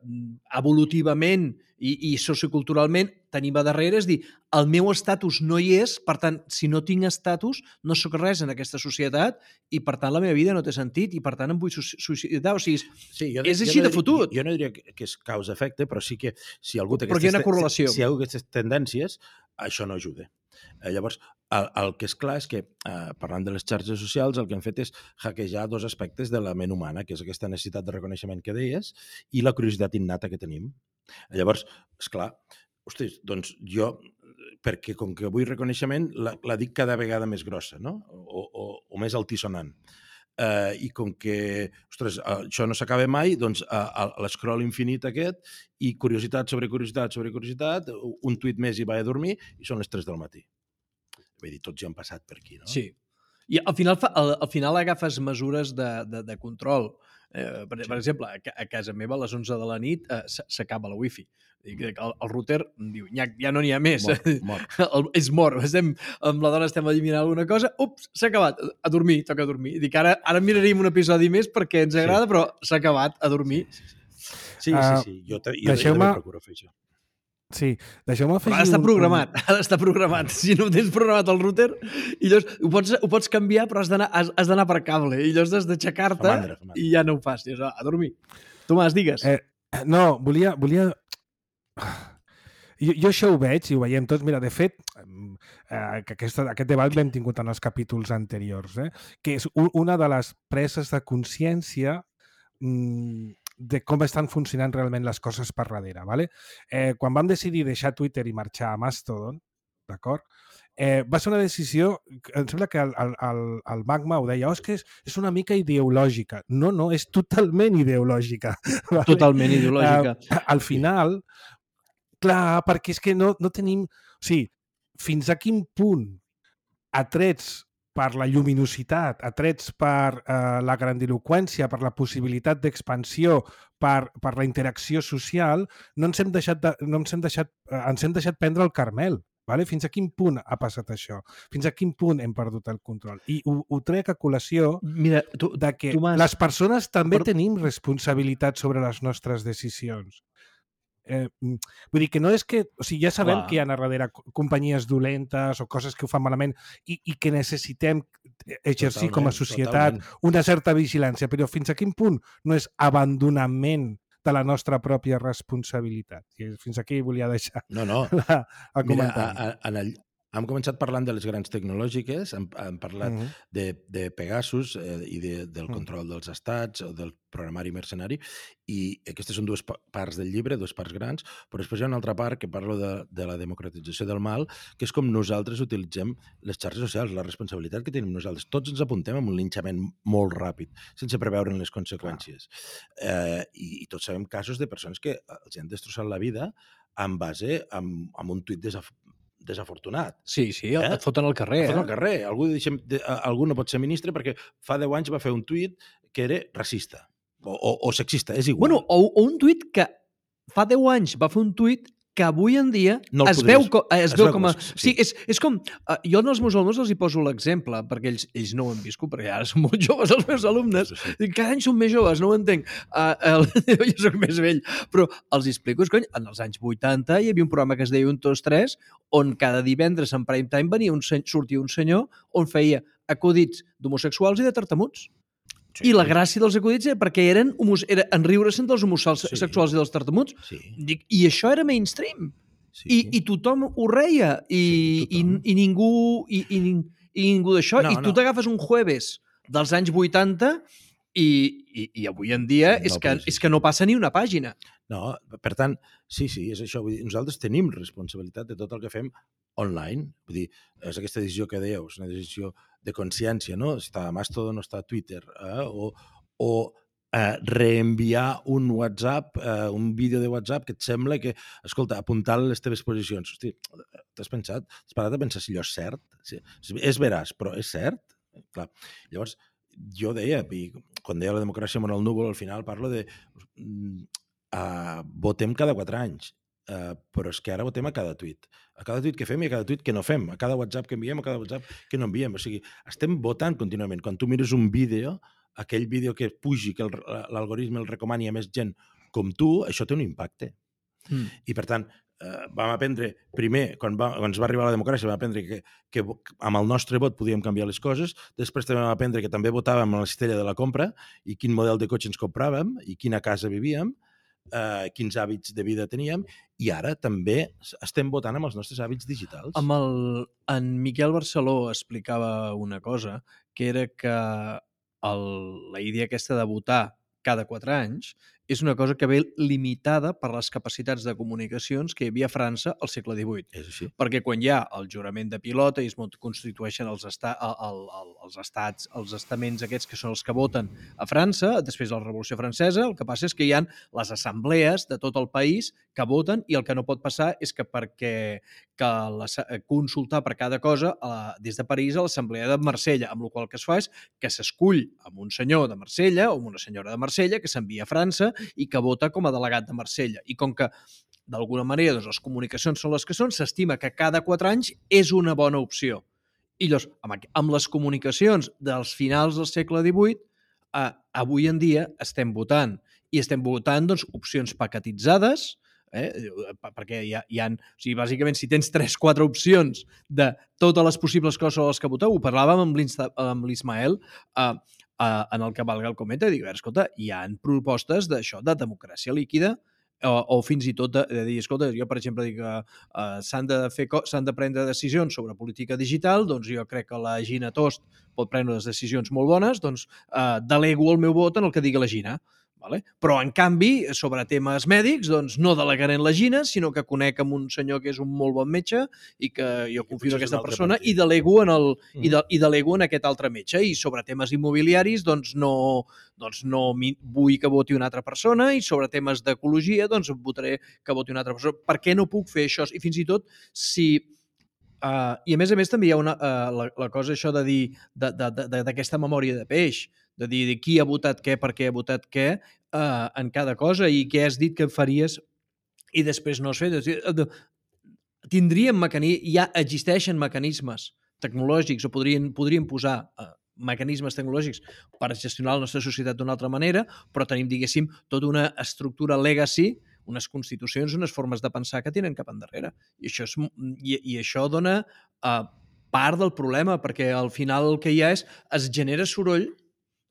evolutivament i, i socioculturalment tenim a darrere, és dir, el meu estatus no hi és, per tant, si no tinc estatus, no sóc res en aquesta societat i, per tant, la meva vida no té sentit i, per tant, em vull suïcidar. O sigui, sí, jo, és així jo no de fotut. Jo, jo no diria que és causa-efecte, però sí que si algú té però aquestes, hi ha una correlació. Si, si hi ha aquestes tendències, això no ajuda. Eh, llavors, el, el que és clar és que, eh, parlant de les xarxes socials, el que han fet és hackejar dos aspectes de la ment humana, que és aquesta necessitat de reconeixement que deies i la curiositat innata que tenim. Llavors, esclar, ostres, doncs jo, perquè com que vull reconeixement, la, la dic cada vegada més grossa, no? O, o, o més altisonant. Uh, I com que, ostres, uh, això no s'acaba mai, doncs uh, l'escroll infinit aquest i curiositat sobre curiositat sobre curiositat, un tuit més i vaig a dormir i són les tres del matí. Vull dir, tots ja han passat per aquí, no? Sí. I al final, al, al final agafes mesures de, de, de control. Eh, per, sí. per exemple, a, a casa meva a les onze de la nit eh, s'acaba la wifi. El, el router diu, ja, ja no n'hi ha més. Mort, mort. El, és mort. Estem, amb la dona estem eliminant alguna cosa. Ups, s'ha acabat. A dormir, toca dormir. Dic, ara, ara miraríem un episodi més perquè ens agrada, sí. Però s'ha acabat, a dormir. Sí, sí, sí. sí, uh, sí, sí. Jo, jo, jo també procuro fer això. Sí, deixeu-me afegir... Però ha d'estar un... programat, ha d'estar programat. Si no tens programat el router, i llavors ho pots, ho pots canviar, però has d'anar has, has d'anar per cable. I llavors has d'aixecar-te i ja no ho fas. Dius, a dormir. Tomàs, digues. Eh, no, volia... volia... Jo, jo això ho veig i ho veiem tots. Mira, de fet, eh, que aquesta, aquest debat l'hem tingut en els capítols anteriors, eh? Que és un, una de les preses de consciència mmm, de com estan funcionant realment les coses per darrere. ¿Vale? Eh, quan vam decidir deixar Twitter i marxar a Mastodon, d'acord? Eh, va ser una decisió, em sembla que el, el, el Magma ho deia, oh, és que és, és una mica ideològica. No, no, és totalment ideològica. ¿Vale? Totalment ideològica. Eh, al final, clar, perquè és que no, no tenim... O sigui, fins a quin punt atrets per la lluminositat, atrets per eh, la grandiloqüència, per la possibilitat d'expansió, per, per la interacció social, no ens hem deixat, de, no ens hem deixat eh, ens hem deixat prendre el Carmel. Vale? Fins a quin punt ha passat això? Fins a quin punt hem perdut el control? I ho, ho trec a col·lació Mira, tu, de que tu les persones també Per- tenim responsabilitat sobre les nostres decisions. Eh, vull dir que no és que... O sigui, ja sabem Clar. que hi ha a darrere co- companyies dolentes o coses que ho fan malament i, i que necessitem exercir Totalment, com a societat totalment. una certa vigilància, però fins a quin punt no és abandonament de la nostra pròpia responsabilitat? I fins aquí volia deixar No, no. la, el Mira, comentari. a, a, en el, hem començat parlant de les grans tecnològiques, hem, hem parlat Mhm. de, de Pegasus eh, i de, del Mm. control dels estats, o del programari mercenari, i aquestes són dues pa- parts del llibre, dues parts grans, però després hi ha una altra part que parlo de, de la democratització del mal, que és com nosaltres utilitzem les xarxes socials, la responsabilitat que tenim nosaltres. Tots ens apuntem amb un linxament molt ràpid, sense preveure les conseqüències. Eh, i, I tots sabem casos de persones que els han destrossat la vida en base amb, amb un tuit desaf desafortunat. Sí, sí, eh? Eh? et foten al carrer. Eh? Eh? Al carrer. Algú, deixem, de, algú no pot ser ministre perquè fa deu anys va fer un tuit que era racista o, o, o sexista, és igual. Bueno, o, o un tuit que fa deu anys va fer un tuit que avui en dia No el es, podries- veu, co- eh, es, es veu veu com a... com- Sí, sí. és, és com... Uh, jo als meus alumnes els hi poso l'exemple, perquè ells, ells no ho han viscut, perquè ara són molt joves els meus alumnes. Sí, sí. Dic, cada any són més joves, no ho entenc. Uh, el, jo soc més vell, però els hi explico, és cony, en els anys vuitanta hi havia un programa que es deia un dos tres, on cada divendres en prime time venia un, sen- sortia un senyor on feia acudits d'homosexuals i de tartamuts. Sí. I la gràcia dels acudits era perquè eren, homos, era enriure-se'n dels homosexuals Sí. i dels tartamuts. Sí, Dic, i això era mainstream. sí. I, i tothom ho reia. I, Sí, i, tothom. i ningú, i, i, i ningú d'això. No, I tu no. t'agafes un jueves dels anys vuitanta i, i, i avui en dia No és, que, podria ser. és que no passa ni una pàgina. No, per tant, sí, sí, és això. Vull dir, nosaltres tenim responsabilitat de tot el que fem online. Vull dir, és aquesta decisió que dèieu, és una decisió de consciència, no? Està a Mastodon o està a Twitter, eh? o, o eh, reenviar un WhatsApp, eh, un vídeo de WhatsApp que et sembla que, escolta, apuntar les teves posicions. Hosti, t'has pensat? Has parat a pensar si allò és cert? Sí, és veraç, però és cert? Clar. Llavors, jo deia, i quan deia la democràcia amb el núvol, al final parlo de uh, votem cada quatre anys, uh, però és que ara votem a cada tuit. A cada tuit que fem i a cada tuit que no fem, a cada WhatsApp que enviem, a cada WhatsApp que no enviem. O sigui, estem votant contínuament. Quan tu mires un vídeo, aquell vídeo que pugi, que l'algoritme el recomani a més gent com tu, això té un impacte. Mm. I, per tant, eh, vam aprendre, primer, quan, va, quan ens va arribar la democràcia, vam aprendre que, que amb el nostre vot podíem canviar les coses, després també vam aprendre que també votàvem a la cistella de la compra i quin model de cotxe ens compràvem i quina casa vivíem, eh, quins hàbits de vida teníem, i ara també estem votant amb els nostres hàbits digitals. Amb el, en Miquel Barceló explicava una cosa, que era que el, la idea aquesta de votar cada quatre anys és una cosa que ve limitada per les capacitats de comunicacions que hi havia a França al segle divuit. És així. Perquè quan hi ha el jurament de pilota i es constitueixen els, esta, el, el, els estats, els estaments aquests que són els que voten a França, després de la Revolució Francesa, el que passa és que hi ha les assemblees de tot el país que voten i el que no pot passar és que perquè que la, consultar per cada cosa eh, des de París a l'Assemblea de Marsella, amb la qual que es fa és que s'escull amb un senyor de Marsella o amb una senyora de Marsella que s'envia a França i que vota com a delegat de Marsella. I com que d'alguna manera doncs, les comunicacions són les que són, s'estima que cada quatre anys és una bona opció. I llavors, amb, amb les comunicacions dels finals del segle divuit, eh, avui en dia estem votant. I estem votant doncs, opcions paquetitzades, eh? perquè hi ha, hi ha, o sigui, bàsicament, si tens tres quatre opcions de totes les possibles coses a les que voteu, ho parlàvem amb l'Ismael, eh, eh, en el que valga el cometa, dic, escolta, hi ha propostes d'això, de democràcia líquida, o, o fins i tot de, de dir, escolta, jo per exemple dic que uh, s'han de fer s'han de prendre decisions sobre política digital, doncs jo crec que la Gina Tost pot prendre les decisions molt bones, doncs uh, delego el meu vot en el que digui la Gina. Vale? Però, en canvi, sobre temes mèdics, doncs no delegaré en la Gina, sinó que conec amb un senyor que és un molt bon metge i que jo confio en aquesta persona i delego en, el, mm. i, de, i delego en aquest altre metge. I sobre temes immobiliaris, doncs no, doncs no vull que voti una altra persona i sobre temes d'ecologia, doncs votaré que voti una altra persona. Per què no puc fer això? I fins i tot, si... Uh, I a més a més també hi ha una, uh, la, la cosa això de dir d'aquesta memòria de peix, de dir de qui ha votat què, per què ha votat què uh, en cada cosa i què has dit que faries i després no has fet. tindríem mecanismes, ja existeixen mecanismes tecnològics o podrien, podrien posar eh, mecanismes tecnològics per gestionar la nostra societat d'una altra manera, però tenim, diguéssim, tota una estructura legacy, unes constitucions, unes formes de pensar que tenen cap endarrere. I això, és, i, i això dona uh, part del problema, perquè al final el que hi ha és, es genera soroll,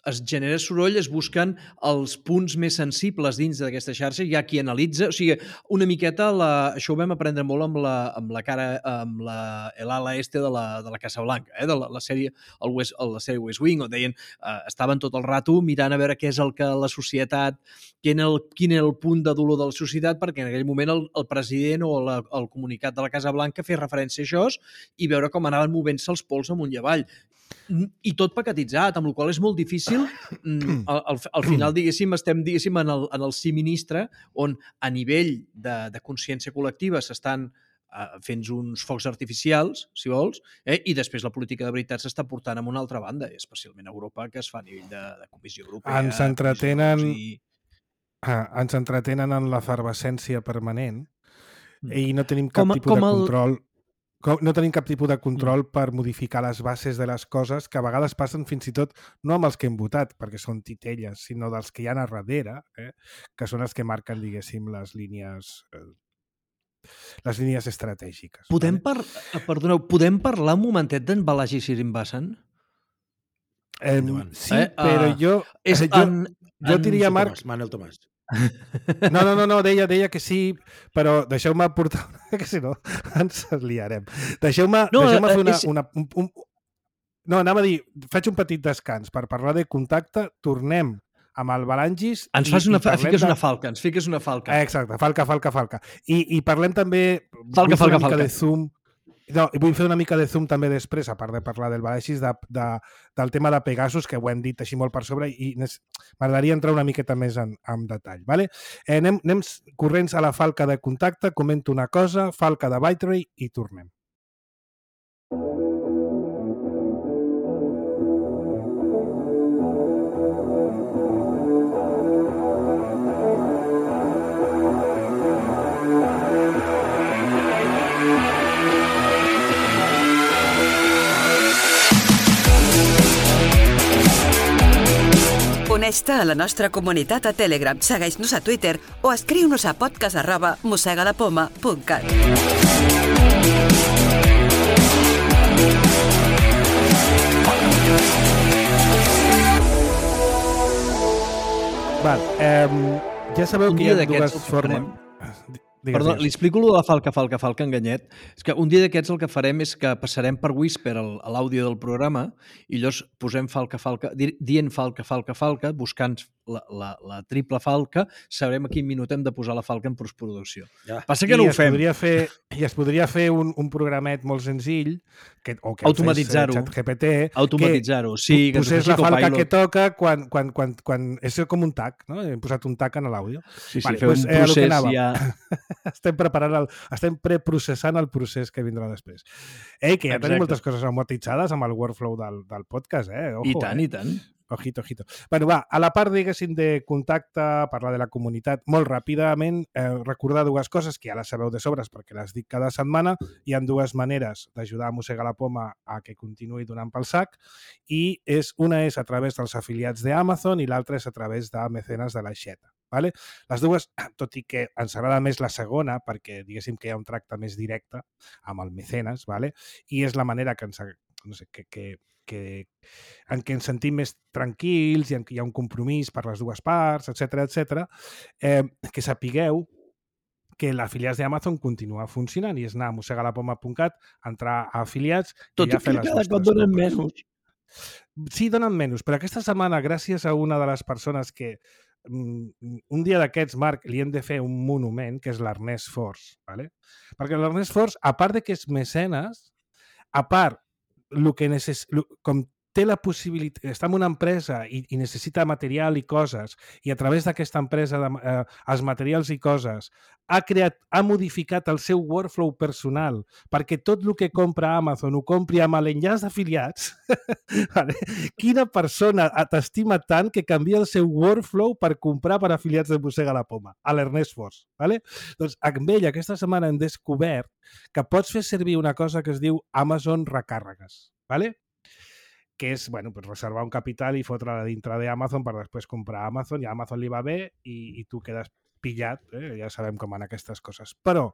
es genera soroll, es busquen els punts més sensibles dins d'aquesta xarxa, hi ha qui analitza, o sigui, una miqueta, la, això ho vam aprendre molt amb la, amb la cara, amb la, l'ala este de la, de la Casa Blanca, eh, de la, la sèrie, el West, la sèrie West Wing, on deien, eh, estaven tot el rato mirant a veure què és el que la societat, quin era el, quin era el punt de dolor de la societat, perquè en aquell moment el, el president o la, el comunicat de la Casa Blanca feia referència a això i veure com anaven movent-se els pols amunt i avall. I tot paquetitzat, amb la qual és molt difícil. Al, al, al final, diguéssim, estem diguéssim, en, el, en el sí ministre, on a nivell de, de consciència col·lectiva s'estan uh, fent uns focs artificials, si vols, eh? I després la política de veritat s'està portant a una altra banda, especialment a Europa, que es fa a nivell de, de Comissió Europea. Ens entretenen, i... ah, ens entretenen en l'efervescència permanent i no tenim cap com, tipus com de el... control... No tenim cap tipus de control mm. per modificar les bases de les coses que a vegades passen fins i tot no amb els que hem votat, perquè són titelles, sinó dels que hi ha a darrere, eh? Que són els que marquen, diguéssim, les línies eh, les línies estratègiques. Podem, vale? par... Perdoneu, podem parlar un momentet d'en Balaji Srinivasan? Eh, sí, eh? però uh, jo... És jo, en, jo diria, Marc... Tomàs, Manel Tomàs. No, no, no, no, deia, deia que sí, però deixeu-me portar... que si no ens liarem. Deixeu-me no, deixeu fer una... és... una un, un... No, anava a dir, faig un petit descans per parlar de contacte, tornem amb el Balangis... Ens fas una, i fiques de... una falca, ens fiques una falca. Exacte, falca, falca, falca. I, i parlem també... Falca, falca, falca. De zoom... No, i vull fer una mica de zoom també després, a part de parlar del Balangis, de, de, del tema de Pegasus, que ho hem dit així molt per sobre, i m'agradaria entrar una miqueta més en, en detall. Vale? Eh, anem, anem corrents a la falca de contacte, comento una cosa, falca de ByteRay i tornem. Uneix-te a la nostra comunitat a Telegram, segueix-nos a Twitter o escriu-nos a podcast arroba mosegadapoma punt cat. Val, eh, ja sabeu que hi ha dues formes... Digues, Perdó, digues. li explico allò de la falca, falca, falca, enganyet. És que un dia d'aquests el que farem és que passarem per Whisper l'àudio del programa i llavors posem falca, falca, dient falca, falca, falca, buscant la, la, la triple falca, sabrem a quin minut hem de posar la falca en postproducció. Ja. Passa que I no ho fem. Fer, I es podria fer un, un programet molt senzill, que, o que automatitzar-ho. ChatGPT, Automatitzar-ho, sí. Que posés la falca que toca quan, quan, quan, quan... És com un tag, no? Hem posat un tag en l'àudio. Sí, sí, vale, fer pues, un procés eh, ja... estem preparant el, estem preprocessant el procés que vindrà després. Ei, que ja Exacte. Tenim moltes coses automatitzades amb el workflow del, del podcast, eh? Ojo, I tant, eh? i tant. Ojito, ojito. Bueno, va, a la part, diguéssim, de contacte, parlar de la comunitat, molt ràpidament, eh, recordar dues coses que ja les sabeu de sobres perquè les dic cada setmana. Hi ha dues maneres d'ajudar a Mossegar la Poma a que continuï donant pel sac i és, una és a través dels afiliats d'Amazon i l'altra és a través de mecenes de l'Aixeta. Vale? Les dues, tot i que ens agrada més la segona, perquè diguéssim que hi ha un tracte més directe amb el mecenes, vale? I és la manera que ens, no sé, que, que, que, en què ens sentim més tranquils i en què hi ha un compromís per les dues parts, etcètera, etcètera, eh, que sapigueu que l'afiliats d'Amazon continua funcionant i és anar a mossegalapoma punt cat, entrar a afiliats tot i ja que cada cop donen menys. Sí, donen menys, però aquesta setmana, gràcies a una de les persones que un dia d'aquests, Marc, li hem de fer un monument, que és l'Ernest Force, ¿vale? Perquè l'Ernest Force, a part de que és mecenes, a part, lo que necess... com té la possibilitat, està en una empresa i, i necessita material i coses, i a través d'aquesta empresa, de, eh, els materials i coses, ha creat, ha modificat el seu workflow personal perquè tot el que compra a Amazon ho compri amb l'enllaç d'afiliats, vale? Quina persona t'estima tant que canvia el seu workflow per comprar per afiliats de Mossega la Poma? A l'Ernest Fos. Vale? Doncs amb ell aquesta setmana hem descobert que pots fer servir una cosa que es diu Amazon Recàrregues. Vale? Que és, bueno, pues reservar un capital i fotre-la dintre d'Amazon per després comprar a Amazon, i a Amazon li va bé i, i tu quedes pillat, eh? Ja sabem com van aquestes coses. Però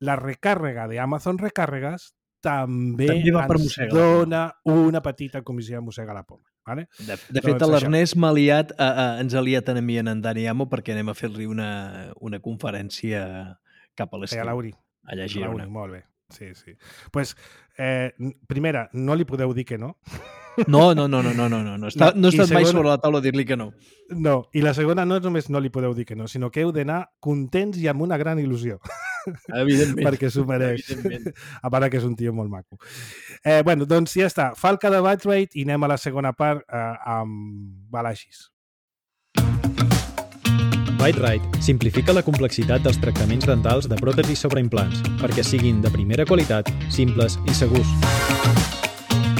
la recàrrega d'Amazon Recàrregues també, també ens dona una petita comissió de Mossega la Poma. Vale? De, de fet, doncs, l'Ernest m'ha liat, a, a, ens ha liat a mi en en Dani Amo perquè anem a fer-li una, una conferència cap a l'estiu. A l'Auri. A llegir una. Molt bé. Sí, sí. Pues, eh, primera, no li podeu dir que no. No, no, no, no, no, no, no. Està, no he estat segona, mai sobre la taula a dir-li que no. No, i la segona no només no li podeu dir que no, sinó que heu d'anar contents i amb una gran il·lusió. Evidentment. Perquè s'ho mereix. A part que és un tio molt maco. Eh, bueno, doncs ja està. Falca de Bitrate i anem a la segona part eh, amb Balashis. Bitrate simplifica la complexitat dels tractaments dentals de pròtesis sobre implants perquè siguin de primera qualitat, simples i segurs.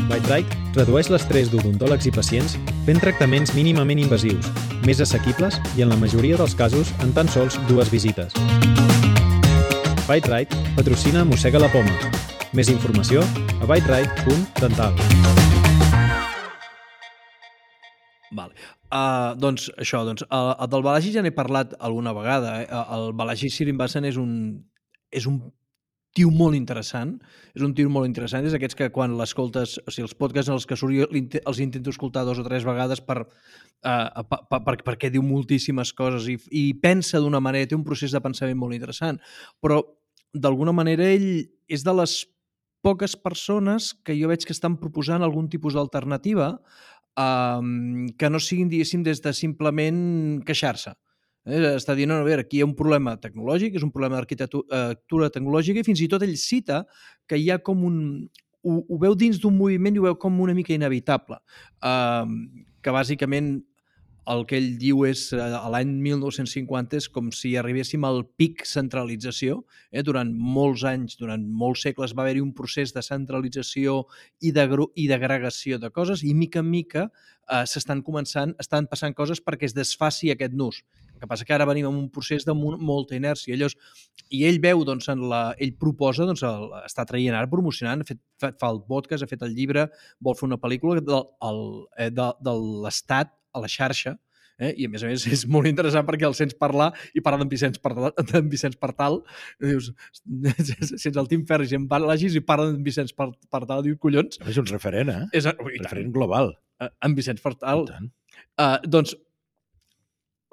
Bitrate redueix l'estrès d'odontòlegs i pacients fent tractaments mínimament invasius, més assequibles i en la majoria dels casos en tan sols dues visites. Bitrate patrocina Mossega la Poma. Més informació a bitrate punt dental. Vale. Uh, doncs això, doncs, el, el del Balaji ja n'he parlat alguna vegada. Eh? El Balaji Srinivasan és un, és un tio molt interessant. És un tio molt interessant. És aquests que quan l'escoltes, o sigui, els podcasts en els que surt, els intento escoltar dos o tres vegades per, uh, per, per, perquè diu moltíssimes coses i, i pensa d'una manera, té un procés de pensament molt interessant. Però, d'alguna manera, ell és de les poques persones que jo veig que estan proposant algun tipus d'alternativa Um, que no siguin, diguéssim, des de simplement queixar-se. Eh? Està dient, no, a veure, aquí hi ha un problema tecnològic, és un problema d'arquitectura tecnològica, i fins i tot ell cita que hi ha com un... Ho, ho veu dins d'un moviment i ho veu com una mica inevitable. Um, que bàsicament el que ell diu és a l'any mil nou-cents cinquanta és com si arribéssim al pic centralització. Eh? Durant molts anys, durant molts segles va haver-hi un procés de centralització i d'agregació de coses i mica en mica eh, s'estan començant, estan passant coses perquè es desfaci aquest nus. El que passa que ara venim en un procés de molta inèrcia. Llavors, i ell veu, doncs, en la, ell proposa, doncs, el, està traient ara, promocionant, ha fet, fa el podcast, ha fet el llibre, vol fer una pel·lícula de, el, de, de l'Estat a la xarxa, eh? I a més a més és molt interessant perquè el sents parlar i parla d'en Vicenç Partal, Vicenç Partal, i dius, sents el Tim Ferris i en Balashis i parla d'en Vicenç Partal, dius, collons. És un referent, eh? És un referent global. En Vicenç Partal. Uh, doncs,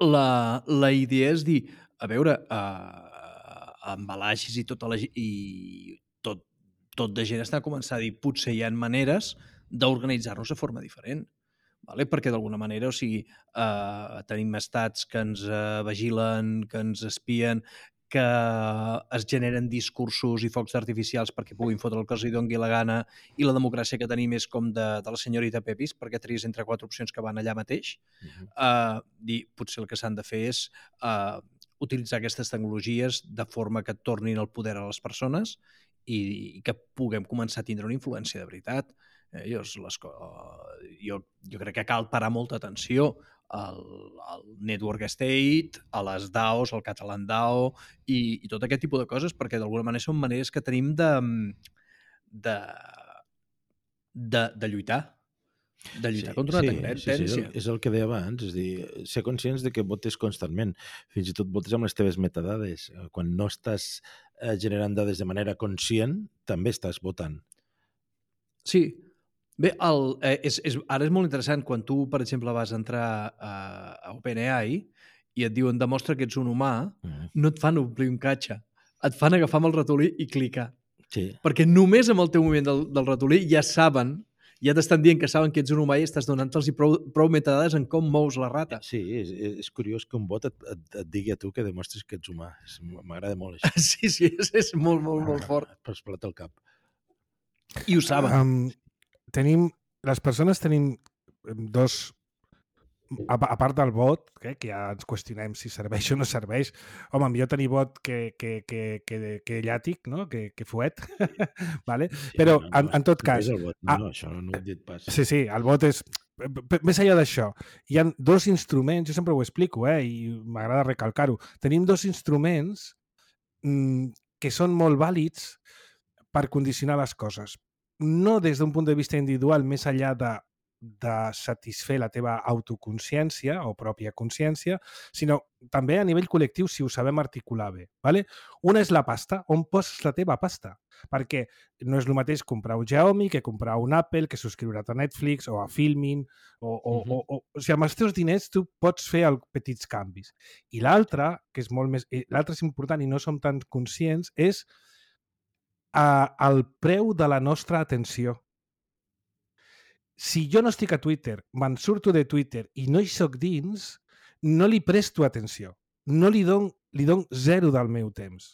la, la idea és dir, a veure, uh, en Balashis i tota la i tot, tot de gent està començant a dir, potser hi ha maneres d'organitzar-nos de forma diferent. Vale? Perquè d'alguna manera, o sigui, eh, tenim estats que ens eh, vigilen, que ens espien, que es generen discursos i focs artificials perquè puguin fotre el que els doni la gana, i la democràcia que tenim és com de, de la senyorita Pepis, perquè tries entre quatre opcions que van allà mateix. Uh-huh. eh, dir, potser el que s'han de fer és eh, utilitzar aquestes tecnologies de forma que tornin el poder a les persones i, i que puguem començar a tindre una influència de veritat. Eh, jo, les, jo, jo crec que cal parar molta atenció al, al Network State, a les D A Os, al Catalan DAO i, i tot aquest tipus de coses, perquè d'alguna manera són maneres que tenim de, de, de, de lluitar. De lluitar sí, contra una sí, tendència. Sí, sí, és el que deia abans, és dir, ser conscients de que votes constantment, fins i tot votes amb les teves metadades. Quan no estàs eh, generant dades de manera conscient, també estàs votant. Sí. Bé, el, eh, és, és, ara és molt interessant quan tu, per exemple, vas entrar a, a OpenAI i et diuen demostra que ets un humà, mm. no et fan omplir un catxa, et fan agafar amb el ratolí i clicar. Sí. Perquè només amb el teu moviment del, del ratolí ja saben, ja t'estan dient que saben que ets un humà i estàs donant-los prou, prou metadades en com mous la rata. Sí, és, és curiós que un bot et, et, et digui a tu que demostris que ets humà. M'agrada molt això. Sí, sí, és, és molt, molt, molt fort. Per explotar el cap. I ho saben. Um, tenim les persones tenim dos... A, a part del bot, eh, que ja ens qüestionem si serveix o no serveix, home, millor tenir bot que, que, que, que, que llàtic, no? que, que fuet, vale? Però no, no, en, en tot cas... El bot. No, no, això no ho he dit pas. Sí, sí, el bot és... Més enllà d'això, hi ha dos instruments, jo sempre ho explico, eh, i m'agrada recalcar-ho, tenim dos instruments mmm, que són molt vàlids per condicionar les coses. No des d'un punt de vista individual, més enllà de de satisfer la teva autoconsciència o pròpia consciència, sinó també a nivell col·lectiu si ho sabem articular bé. Vale? Una és la pasta, on poses la teva pasta, perquè no és el mateix comprar un Xiaomi que comprar un Apple, que subscriure't a Netflix o a Filmin, o, o, uh-huh. o, o, o sigui, amb els teus diners tu pots fer el, petits canvis. I l'altre, que és molt més... L'altre és important i no som tan conscients, és uh, el preu de la nostra atenció. Si jo no estic a Twitter, me'n surto de Twitter i no hi soc dins, no li presto atenció. No li dono, li dono zero del meu temps.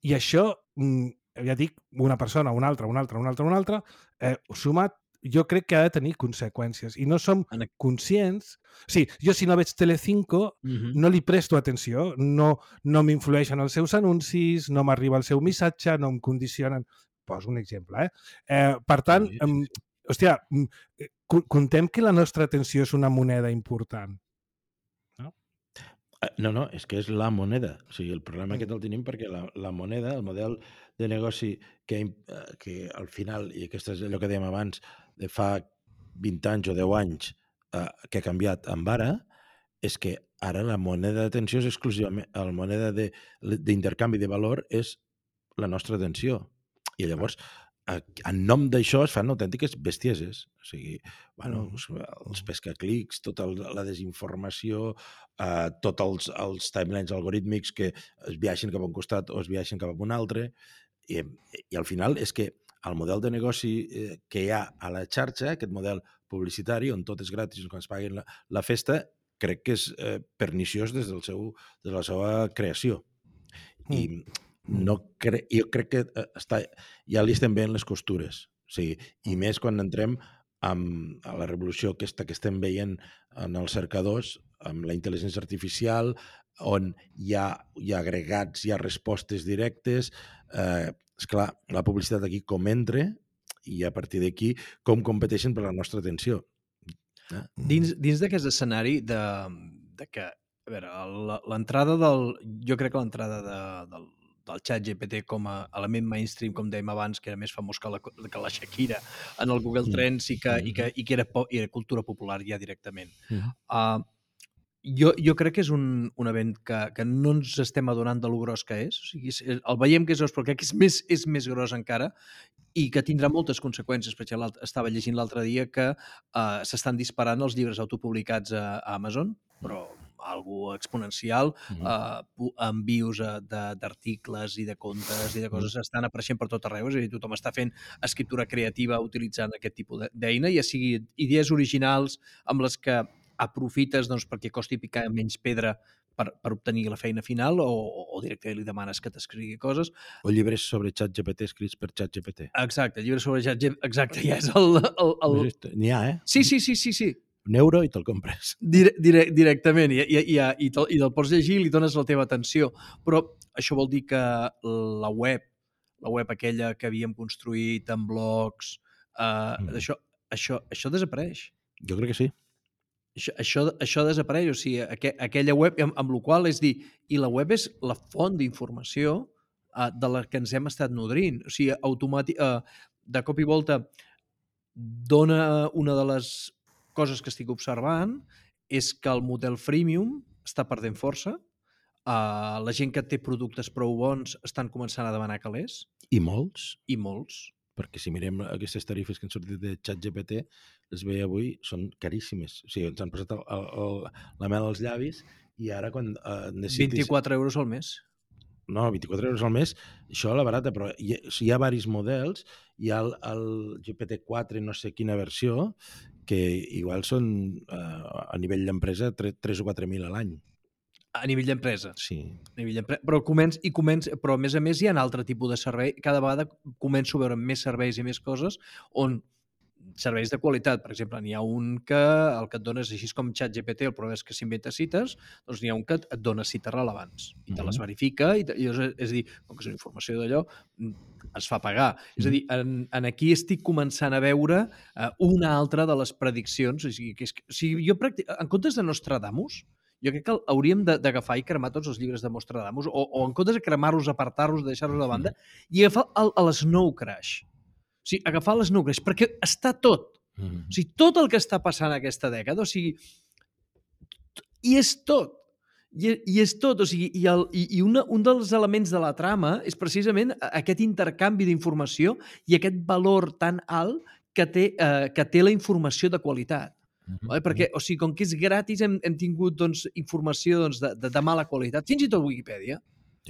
I això, ja dic, una persona, una altra, una altra, una altra, una altra, eh, sumat, jo crec que ha de tenir conseqüències. I no som conscients... Sí, jo si no veig Telecinco, uh-huh. no li presto atenció, no, no m'influeixen els seus anuncis, no m'arriba el seu missatge, no em condicionen... Poso un exemple, eh? eh per tant... Sí, sí, sí. Hòstia, contem que la nostra atenció és una moneda important. No? No, no, és que és la moneda. O sigui, el problema aquest el tenim perquè la, la moneda, el model de negoci que, que al final, i aquest és allò que dèiem abans, de fa vint anys o deu anys eh, que ha canviat amb ara, és que ara la moneda d'atenció és exclusivament, la moneda d'intercanvi de, de valor és la nostra atenció. I llavors... en nom d'això es fan autèntiques bestieses. O sigui, bueno, mm. els pescaclics, tota la desinformació, eh, tots els, els timelines algorítmics que es viaixen cap a un costat o es viaixen cap a un altre. I, i al final és que el model de negoci eh, que hi ha a la xarxa, aquest model publicitari, on tot és gratis, quan es paguen la, la festa, crec que és eh, perniciós des, del seu, des de la seva creació. Mm. I no cre... jo crec que està... ja li estem veient les costures. O sigui, i més quan entrem amb a la revolució aquesta que estem veient en els cercadors, amb la intel·ligència artificial, on hi ha, hi ha agregats, hi ha respostes directes. Eh, esclar, la publicitat aquí com entra i a partir d'aquí com competeixen per la nostra atenció. Eh? Dins, dins d'aquest escenari de, de que, a veure, l'entrada del... Jo crec que l'entrada de, del del xat G P T com a element mainstream, com dèiem abans, que era més famós que la, que la Shakira en el Google Trends i que, i que, i que era, po, i era cultura popular ja directament. Uh, jo, jo crec que és un, un event que, que no ens estem adonant de lo gros que és. O sigui, el veiem que és gros, però crec que és més, és més gros encara i que tindrà moltes conseqüències. Per exemple, estava llegint l'altre dia que uh, s'estan disparant els llibres autopublicats a, a Amazon, però algo exponencial, uh, envios d'articles i de contes i de coses estan apareixent per tot arreu, és a dir, tothom està fent escriptura creativa utilitzant aquest tipus d'eina, ja sigui idees originals amb les que aprofites doncs, perquè costi picar menys pedra per, per obtenir la feina final o, o directament li demanes que t'escrigui coses. O llibres sobre ChatGPT escrits per ChatGPT. Exacte, llibres sobre ChatGPT, exacte, ja és el... el, el... N'hi ha, eh? Sí, sí, sí, sí, sí. Un euro i te'l compres. Dire, dire, directament, i, i, i, i, te, i te'l pots llegir i li dones la teva atenció. Però això vol dir que la web, la web aquella que havíem construït en blogs, eh, mm. això, això, això desapareix. Jo crec que sí. Això, això, això desapareix, o sigui, aqu aquella web, amb, amb la qual és dir, i la web és la font d'informació eh, de la que ens hem estat nodrint. O sigui, automàtic, eh, de cop i volta dona una de les coses que estic observant és que el model freemium està perdent força. Uh, la gent que té productes prou bons estan començant a demanar calés. I molts. I molts. Perquè si mirem aquestes tarifes que han sortit de ChatGPT, les veia avui, són caríssimes. O sigui, ens han posat el, el, el, la mel als llavis i ara quan uh, necessitis... vint-i-quatre euros al mes. No, vint-i-quatre euros al mes, això la barata, però hi ha, hi ha varis models, hi ha el, el G P T quatre, no sé quina versió, que igual són, eh, a nivell d'empresa, tres o quatre mil a l'any. A nivell d'empresa? Sí. A nivell d'empresa. Però, començ, i començ, però, a més a més, hi ha un altre tipus de servei. Cada vegada començo a veure més serveis i més coses on serveis de qualitat. Per exemple, n'hi ha un que el que et dona és així com ChatGPT, el problema és que s'inventa cites, doncs n'hi ha un que et dona cites rellevants i te les verifica i, te, i és, és a dir, com que és una informació d'allò, es fa pagar. És a dir, en, en aquí estic començant a veure uh, una altra de les prediccions. O sigui, que és, o sigui jo pràctic, en comptes de Nostradamus, jo crec que hauríem d'agafar i cremar tots els llibres de Nostradamus, o, o en comptes de cremar-los, apartar-los, deixar-los de banda, i agafar el, el Snow Crash. O sigui, agafar les nucles, perquè està tot. Mm. O sigui, tot el que està passant aquesta dècada, o sigui, i és tot. I, i és tot. O sigui, i el, i, i una, un dels elements de la trama és precisament aquest intercanvi d'informació i aquest valor tan alt que té, eh, que té la informació de qualitat. Mm-hmm. Vale? Perquè, o sigui, com que és gratis, hem, hem tingut doncs, informació doncs, de, de, de mala qualitat. Fins i tot Wikipedia.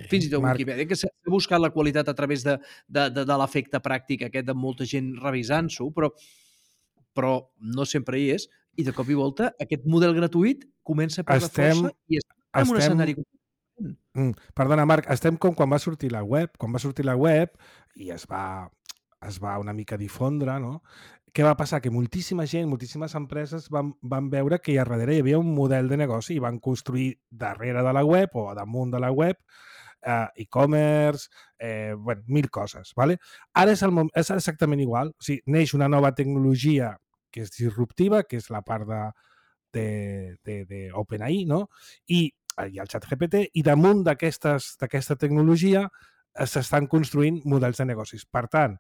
Fins i tot Marc... Wikipedia, que s'ha buscat la qualitat a través de, de, de, de l'efecte pràctic aquest de molta gent revisant-s'ho, però, però no sempre hi és, i de cop i volta aquest model gratuït comença a perdre estem, força i estem en estem... un escenari... Mm, perdona, Marc, estem com quan va sortir la web, quan va sortir la web i es va, es va una mica difondre, no? Què va passar? Que moltíssima gent, moltíssimes empreses van, van veure que a darrere hi havia un model de negoci i van construir darrere de la web o damunt de la web Uh, e-commerce, eh, bueno, mil coses. ¿vale? Ara és, el, és exactament igual. O sigui, neix una nova tecnologia que és disruptiva, que és la part d'OpenAI, no? I hi ha el ChatGPT, i damunt d'aquesta tecnologia s'estan construint models de negocis. Per tant,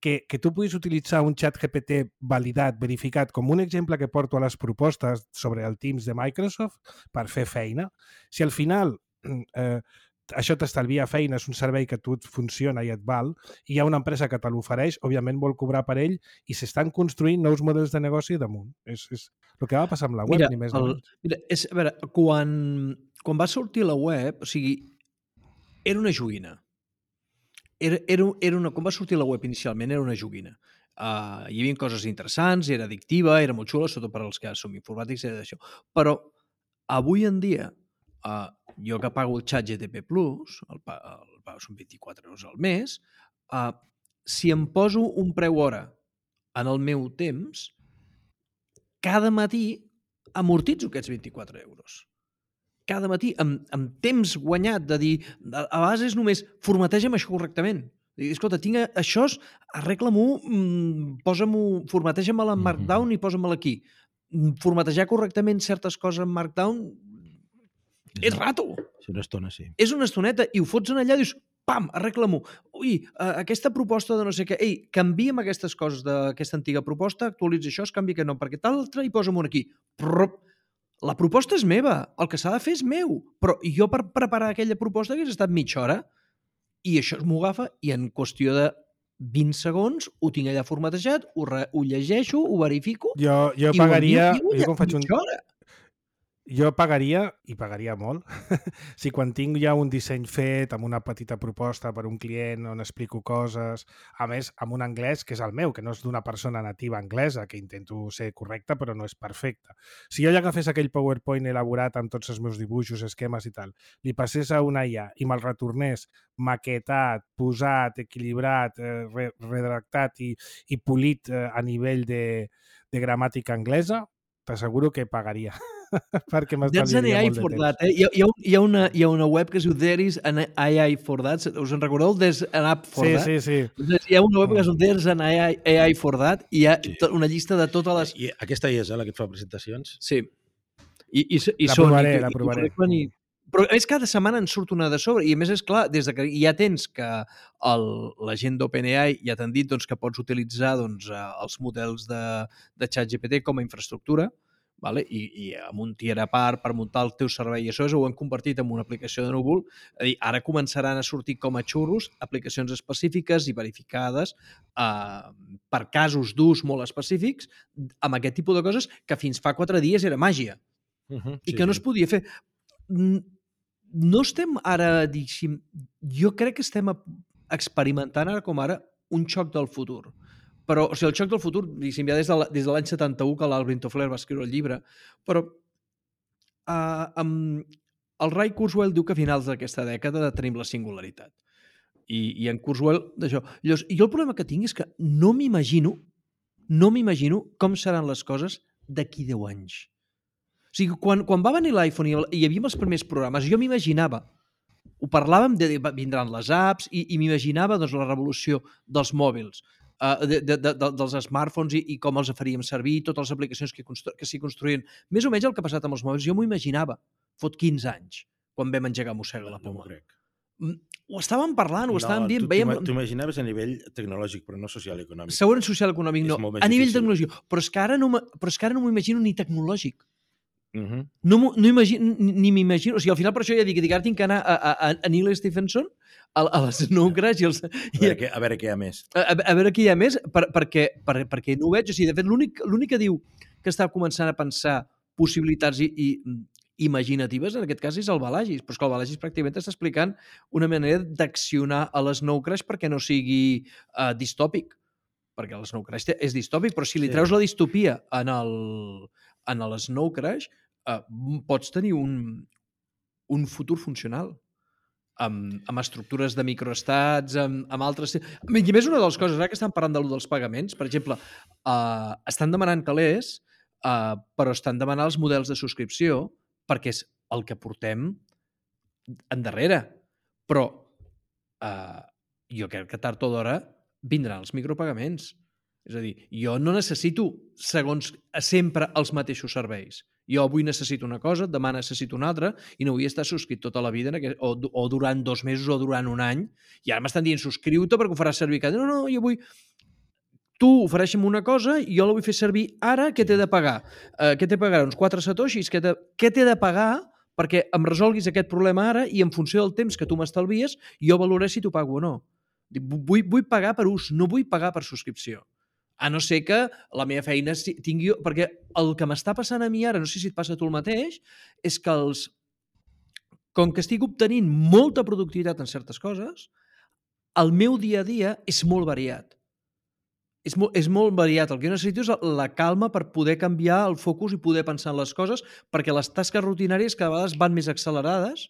que, que tu puguis utilitzar un ChatGPT validat, verificat, com un exemple que porto a les propostes sobre el Teams de Microsoft per fer feina, si al final eh, això t'estalvia feina, és un servei que tu et funciona i et val, i hi ha una empresa que te l'ofereix, òbviament vol cobrar per ell, i s'estan construint nous models de negoci damunt. És, és el que va passar amb la web, mira, ni més el, ni mira, és, a veure, quan, quan va sortir la web, o sigui, era una joguina. Era, era, era una, quan va sortir la web inicialment, era una joguina. Uh, hi havia coses interessants, era addictiva, era molt xula, sobretot per als que som informàtics, era d'això. Però avui en dia, uh, jo que pago el ChatGPT Plus, el, el, el són vint-i-quatre euros al mes, uh, si em poso un preu hora en el meu temps, cada matí amortitzo aquests vint-i-quatre euros. Cada matí, amb, amb temps guanyat de dir, a, a vegades és només formateja'm això correctament. Dir, escolta, tinc això, arregla-m'ho, mmm, posa-m'ho, formateja'm en Markdown mm-hmm. i posa-me'l aquí. Formatejar correctament certes coses en Markdown és, és rato. És una estona, sí. És una estoneta i ho fots en allà i dius, pam, arregla-m'ho. Ui, aquesta proposta de no sé què, ei, canvia'm aquestes coses d'aquesta antiga proposta, actualitza això, es canvia que no, perquè tal altre i posa-m'ho aquí. Prrr, la proposta és meva, el que s'ha de fer és meu, però jo per preparar aquella proposta hagués estat mitja hora i això m'ho agafa i en qüestió de vint segons ho tinc allà formatejat, ho, re, ho llegeixo, ho verifico... Jo, jo pagaria... Jo, jo, jo faig un... hora. Jo pagaria, i pagaria molt, si quan tinc ja un disseny fet amb una petita proposta per un client on explico coses, a més, amb un anglès que és el meu, que no és d'una persona nativa anglesa, que intento ser correcta però no és perfecta. Si jo ja agafés aquell PowerPoint elaborat amb tots els meus dibuixos, esquemes i tal, li passés a una I A i me'l retornés maquetat, posat, equilibrat, eh, redactat i, i polit eh, a nivell de, de gramàtica anglesa, t'asseguro que pagaria. Perquè m'estalviaria molt de temps. That, eh? hi, ha, hi, ha, hi, ha una, hi ha una web que es diu There is an A I for that. Us en recordeu? There's an app for sí, that. Sí, sí, sí. Hi ha una web que es diu There's an A I, A I for that i hi ha sí. una llista de totes les... I aquesta hi és, eh, la que et fa presentacions? Sí. I, i, i la són, provaré, i, la provaré. I, però és cada setmana en surt una de sobre i a més és clar, des de que ja tens que el, la gent d'OpenAI ja t'han dit doncs, que pots utilitzar doncs, els models de, de ChatGPT com a infraestructura, vale? I, i amb un tier a part per muntar el teu servei i això ho hem convertit en una aplicació de núvol. És a dir, ara començaran a sortir com a xurros aplicacions específiques i verificades eh, per casos d'ús molt específics amb aquest tipus de coses que fins fa quatre dies era màgia uh-huh, i sí, que no sí. es podia fer. No estem ara, diguéssim, jo crec que estem experimentant ara com ara un xoc del futur. Però, o sigui, el xoc del futur, diguéssim, ja des de, des de l'any setanta-u que l'Alvin Toffler va escriure el llibre, però uh, amb, el Ray Kurzweil diu que a finals d'aquesta dècada tenim la singularitat. I, i en Kurzweil, d'això. Llavors, jo el problema que tinc és que no m'imagino, no m'imagino com seran les coses d'aquí deu anys. O sigui, quan, quan va venir l'iPhone i hi havia els primers programes, jo m'imaginava, ho parlàvem, de, vindran les apps, i, i m'imaginava doncs, la revolució dels mòbils, uh, de, de, de, dels smartphones i, i com els faríem servir, totes les aplicacions que, constru que s'hi construïen. Més o menys el que ha passat amb els mòbils, jo m'ho imaginava, fot quinze anys, quan vam engegar Mossega la Poma. No m'ho crec. Ho estàvem parlant, ho no, estàvem dient. Tu veiem... t'imaginaves a nivell tecnològic, però no social i econòmic. Segurament social i econòmic no, a nivell tecnològic. Però és que ara no m'ho imagino ni tecnològic. Uh -huh. No, no imagino, ni m'imagino... O sigui, al final per això ja dic, dic ara tinc que anar a, a, a Neil Stephenson, a, a les Snow Crash i els... A veure, què, a veure què hi ha més. A, a veure què hi ha més, per, perquè, per, perquè no ho veig. O sigui, de fet, l'únic que diu que està començant a pensar possibilitats i, i imaginatives, en aquest cas, és el Balagis. Però és que el Balagis pràcticament està explicant una manera d'accionar a l'Snow Crash perquè no sigui uh, distòpic. Perquè l'Snow Crash és distòpic, però si li treus sí. la distopia en el, en l'Snow Crash, uh, pots tenir un, un futur funcional. Amb, amb estructures de microestats, amb, amb altres... I a més, una de les coses, ara que estan parlant de, dels pagaments, per exemple, uh, estan demanant calés, uh, però estan demanant els models de subscripció, perquè és el que portem endarrere. Però uh, jo crec que tard o d'hora vindran els micropagaments. És a dir, jo no necessito, segons sempre, els mateixos serveis. Jo avui necessito una cosa, demà necessito una altra, i no vull estar subscrit tota la vida, en aquest, o, o durant dos mesos o durant un any, i ara m'estan dient subscriu-te perquè ho faràs servir cada... No, no, jo vull... Tu ofereixa'm una cosa i jo la vull fer servir ara, què t'he de pagar? Uh, què t'he de pagar? Uns quatre satoshis? Què t'he de pagar perquè em resolguis aquest problema ara i en funció del temps que tu m'estalvies, jo valoraré si t'ho pago o no. Vull, vull pagar per ús, no vull pagar per subscripció. A no ser que la meva feina tingui... Perquè el que m'està passant a mi ara, no sé si et passa a tu el mateix, és que els... com que estic obtenint molta productivitat en certes coses, el meu dia a dia és molt variat. És molt, és molt variat. El que jo necessito és la calma per poder canviar el focus i poder pensar en les coses, perquè les tasques rutinàries cada vegada van més accelerades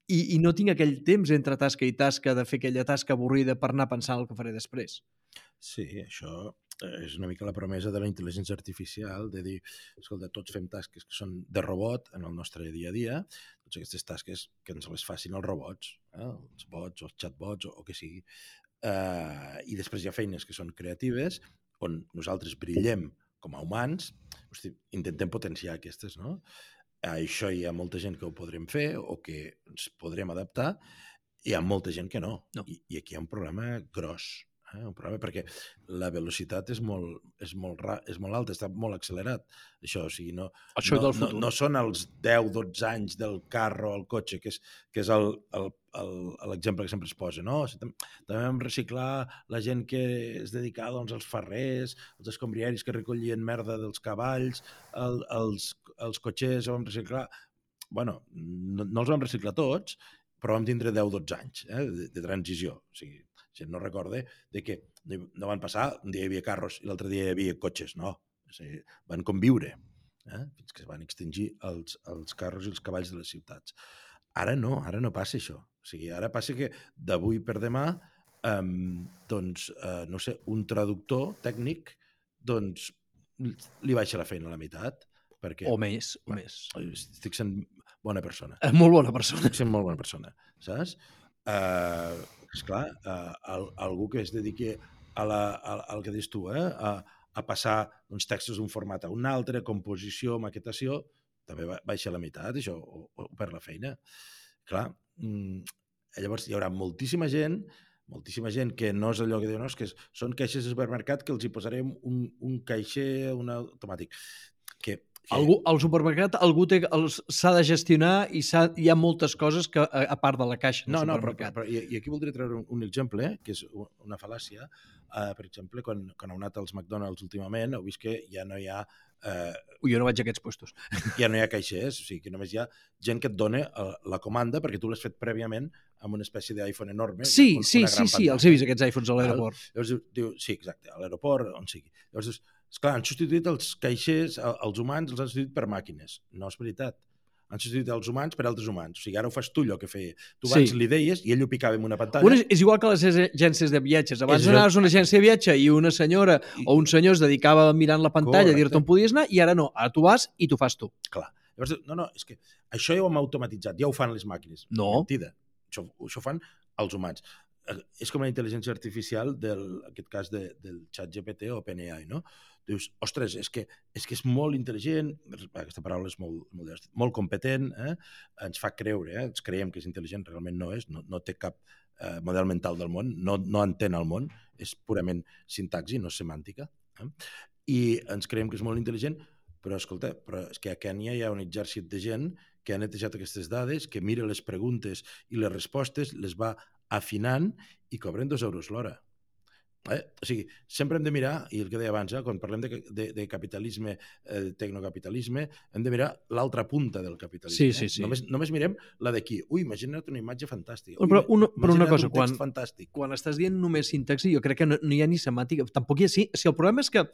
i, i no tinc aquell temps entre tasca i tasca de fer aquella tasca avorrida per anar pensant el que faré després. Sí, això és una mica la promesa de la intel·ligència artificial, de dir, escolta, tots fem tasques que són de robot en el nostre dia a dia, tots aquestes tasques que ens les facin els robots, eh? Els bots, els chatbots o, o que sigui. Uh, I després hi ha feines que són creatives, on nosaltres brillem com a humans, hosti, intentem potenciar aquestes, no? Uh, això hi ha molta gent que ho podrem fer o que ens podrem adaptar, hi ha molta gent que no. no. I, I aquí hi ha un problema gros. Eh, un problema perquè la velocitat és molt, és molt, ra, és molt alta, està molt accelerat. Això, o sigui, no, Això no, no, no són els deu dotze anys del carro o el cotxe, que és, que és l'exemple que sempre es posa. No? O sigui, també vam reciclar la gent que es dedicava doncs, als ferrers, els escombrieris que recollien merda dels cavalls, el, els, els cotxers vam reciclar... Bueno, no, no els vam reciclar tots, però vam tindre deu dotze anys eh, de, de transició. O sigui, gent no recorda de que no van passar, un dia hi havia carros i l'altre dia hi havia cotxes, no. O sigui, van conviure, eh? Fins que es van extingir els, els carros i els cavalls de les ciutats. Ara no, ara no passa això. O sigui, ara passa que d'avui per demà, um, doncs, uh, no sé, un traductor tècnic, doncs, li baixa la feina a la meitat. Perquè, o més, o més. Estic sent bona persona. És molt bona persona. Estic sent molt bona persona, saps? Uh, esclar, uh, al, algú que es dediqui a la, a, al que dius tu, eh? a, a passar uns textos d'un format a un altre, composició, maquetació, també baixa la meitat, això, o, o per la feina. Clar, mm, llavors hi haurà moltíssima gent, moltíssima gent que no és allò que diuen, no, és que són caixers de supermercat que els hi posarem un, un caixer un automàtic. Que Algú, al supermercat algú s'ha de gestionar i hi ha moltes coses que a, a part de la caixa no, no, però, però, i, i aquí voldria treure un, un exemple, eh, que és una fal·làcia. Uh, per exemple, quan, quan heu anat als McDonald's últimament, heu vist que ja no hi ha... Uh, Ui, jo no vaig a aquests puestos. Ja no hi ha caixers, o sigui que només hi ha gent que et dona uh, la comanda perquè tu l'has fet prèviament amb una espècie d'iPhone enorme. Sí, una, sí, una sí, sí, els he vist aquests iPhones a l'aeroport. Llavors diu, sí, exacte, a l'aeroport, on sigui. Llavors dius, esclar, han substituït els caixers, els humans els han substituït per màquines. No és veritat. Han substituït els humans per altres humans. O sigui, ara ho fas tu, allò que feia. Tu abans Sí. li deies i ell ho picava en una pantalla. Bueno, és, és igual que les agències de viatges. Abans És- anaves a una agència de viatge i una senyora I- o un senyor es dedicava mirant la pantalla a Correcte. dir-te on podies anar, i ara no. Ara tu vas i t'ho fas tu. Clar. Llavors, no, no, és que això ja ho hem automatitzat, ja ho fan les màquines. No. Mentida. Això, això fan els humans. Eh, És com la intel·ligència artificial del, en aquest cas de, del xat G P T o OpenAI, no? Dius, ostres, és que és, que és molt intel·ligent, aquesta paraula és molt, molt, molt competent, eh? Ens fa creure, eh? Ens creiem que és intel·ligent, realment no és, no, no té cap eh, model mental del món, no, no entén el món, és purament sintaxi, no semàntica. Eh? I ens creiem que és molt intel·ligent, però, escolta, però és que a Kènia hi ha un exèrcit de gent que ha netejat aquestes dades, que mira les preguntes i les respostes, les va afinant i cobren dos euros l'hora. Eh? O sigui, sempre hem de mirar, i el que deia abans, eh? Quan parlem de, de, de capitalisme, eh, de tecnocapitalisme, hem de mirar l'altra punta del capitalisme. Sí, eh? sí, sí. Només, només mirem la d'aquí. Ui, imagina't una imatge fantàstica. Ui, Però una- però una imagina't cosa, un text quan- fantàstic. Quan estàs dient només sintaxi, jo crec que no, no hi ha ni semàtica. Tampoc hi ha... Sí, si el problema és que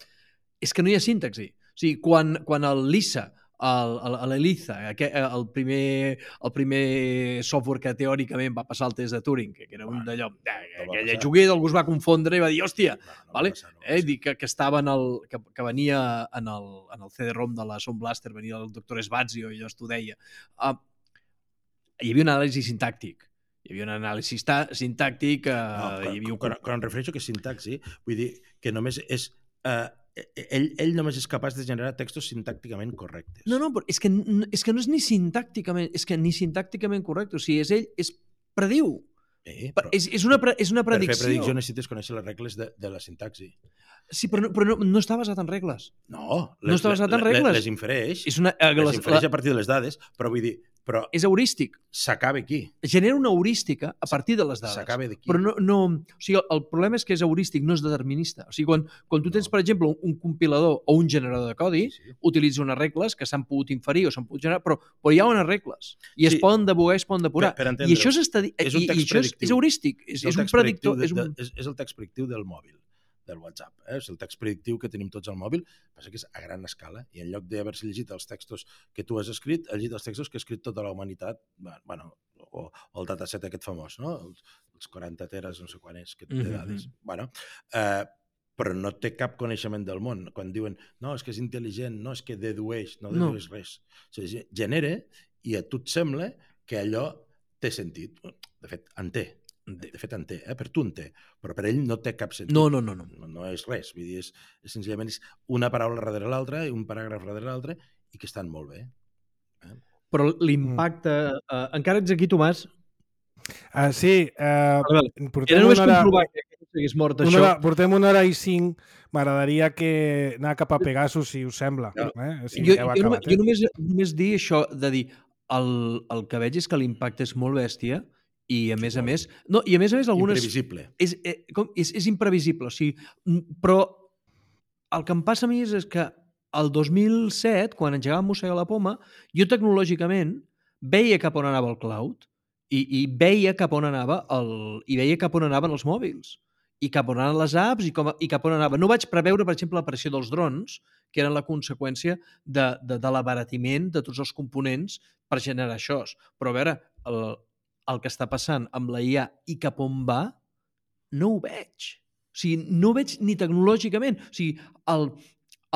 és que no hi ha sintaxi. O sigui, quan, quan el Lisa, el, el, l'Eliza, aquest- el primer, el primer software que teòricament va passar el test de Turing, que era un d'allò, no va aquell passar. juguet, algú es va confondre i va dir, hòstia, No, no va vale? passar, no va eh, passar. dir que, que estava en el, que, que venia en el, en el C D ROM de la Sound Blaster, venia el doctor Svazio i allò t'ho deia. Uh, hi havia un anàlisi sintàctic. Hi havia un anàlisi sta- sintàctic, uh, No, quan, hi havia un... quan, quan em refereixo que és sintaxi, vull dir que només és... Eh, ell, ell només és capaç de generar textos sintàcticament correctes. No, no, però és que, n- és que no és ni sintàcticament, és que ni sintàcticament correcte. O sigui, és ell, és prediu. Eh, Per, però és, és, una, pre, és una per fer predicció. predicció necessites conèixer les regles de, de la sintaxi. Sí, però, no, però no, no està basat en regles. No, No està basat en regles. Les infereix, És, una, eh, les les, infereix la, a partir de les dades, però vull dir, però és heurístic. s'acaba aquí, Genera una heurística a partir de les dades. s'acaba d'aquí. Però no, no, o sigui, el problema és que és heurístic, no és determinista. O sigui, quan, quan tu tens, No. per exemple, un, un compilador o un generador de codi, Sí, sí. utilitza unes regles que s'han pogut inferir o s'han pogut generar, però, però hi ha unes regles. I es Sí. poden debugar i es poden depurar. Per- per I entendre-ho. això és, estadi... És un I, text i això és, predictiu. és heurístic. És, el és un text predictor. predictiu És de, un... de, és, és el text predictiu del mòbil, del WhatsApp. Eh? És el text predictiu que tenim tots al mòbil, passa que és a gran escala, i en lloc d'haver-se llegit els textos que tu has escrit, ha llegit els textos que ha escrit tota la humanitat, bueno, o, o el dataset aquest famós, no? Els, els quaranta teres, no sé quan és, que té Mhm. dades. Bueno, eh, però no té cap coneixement del món. Quan diuen, no, és que és intel·ligent, no, és que dedueix, no No. dedueix res. O sigui, genera i a tu et sembla que allò té sentit. De fet, en té. De fet, en té, eh? Per tu en té, però per ell no té cap sentit. No, no, no, no. No, no és res, vull dir, és, és senzillament és una paraula darrere l'altra i un paràgraf darrere l'altre i que estan molt bé. Però l'impacte... Uh, encara ets aquí, Tomàs? Uh, sí, uh, Vale, vale. portem Era només una hora, comprovar que no estigués mort, una això. hora, portem una hora i cinc. M'agradaria que anar cap a Pegasus, si us sembla. Ja. Eh? Si jo, heu jo, acabat, només, eh? jo només, només dir això, de dir, el, el que veig és que l'impacte és molt bèstia i a més a més... No, i a més a més algunes... Imprevisible. És, eh, com, és, és imprevisible, o sigui, m- però el que em passa a mi és, és que el dos mil set, quan engegàvem Mossega la Poma, jo tecnològicament veia cap on anava el cloud i, i veia cap on anava el, i veia cap on anaven els mòbils i cap on anaven les apps i, com, i cap on anava. No vaig preveure, per exemple, l'aparició dels drons, que eren la conseqüència de, de, de l'abaratiment de tots els components per generar això. Però a veure, el, el que està passant amb la I A i cap on va, no ho veig. O sigui, no ho veig ni tecnològicament. O sigui, el,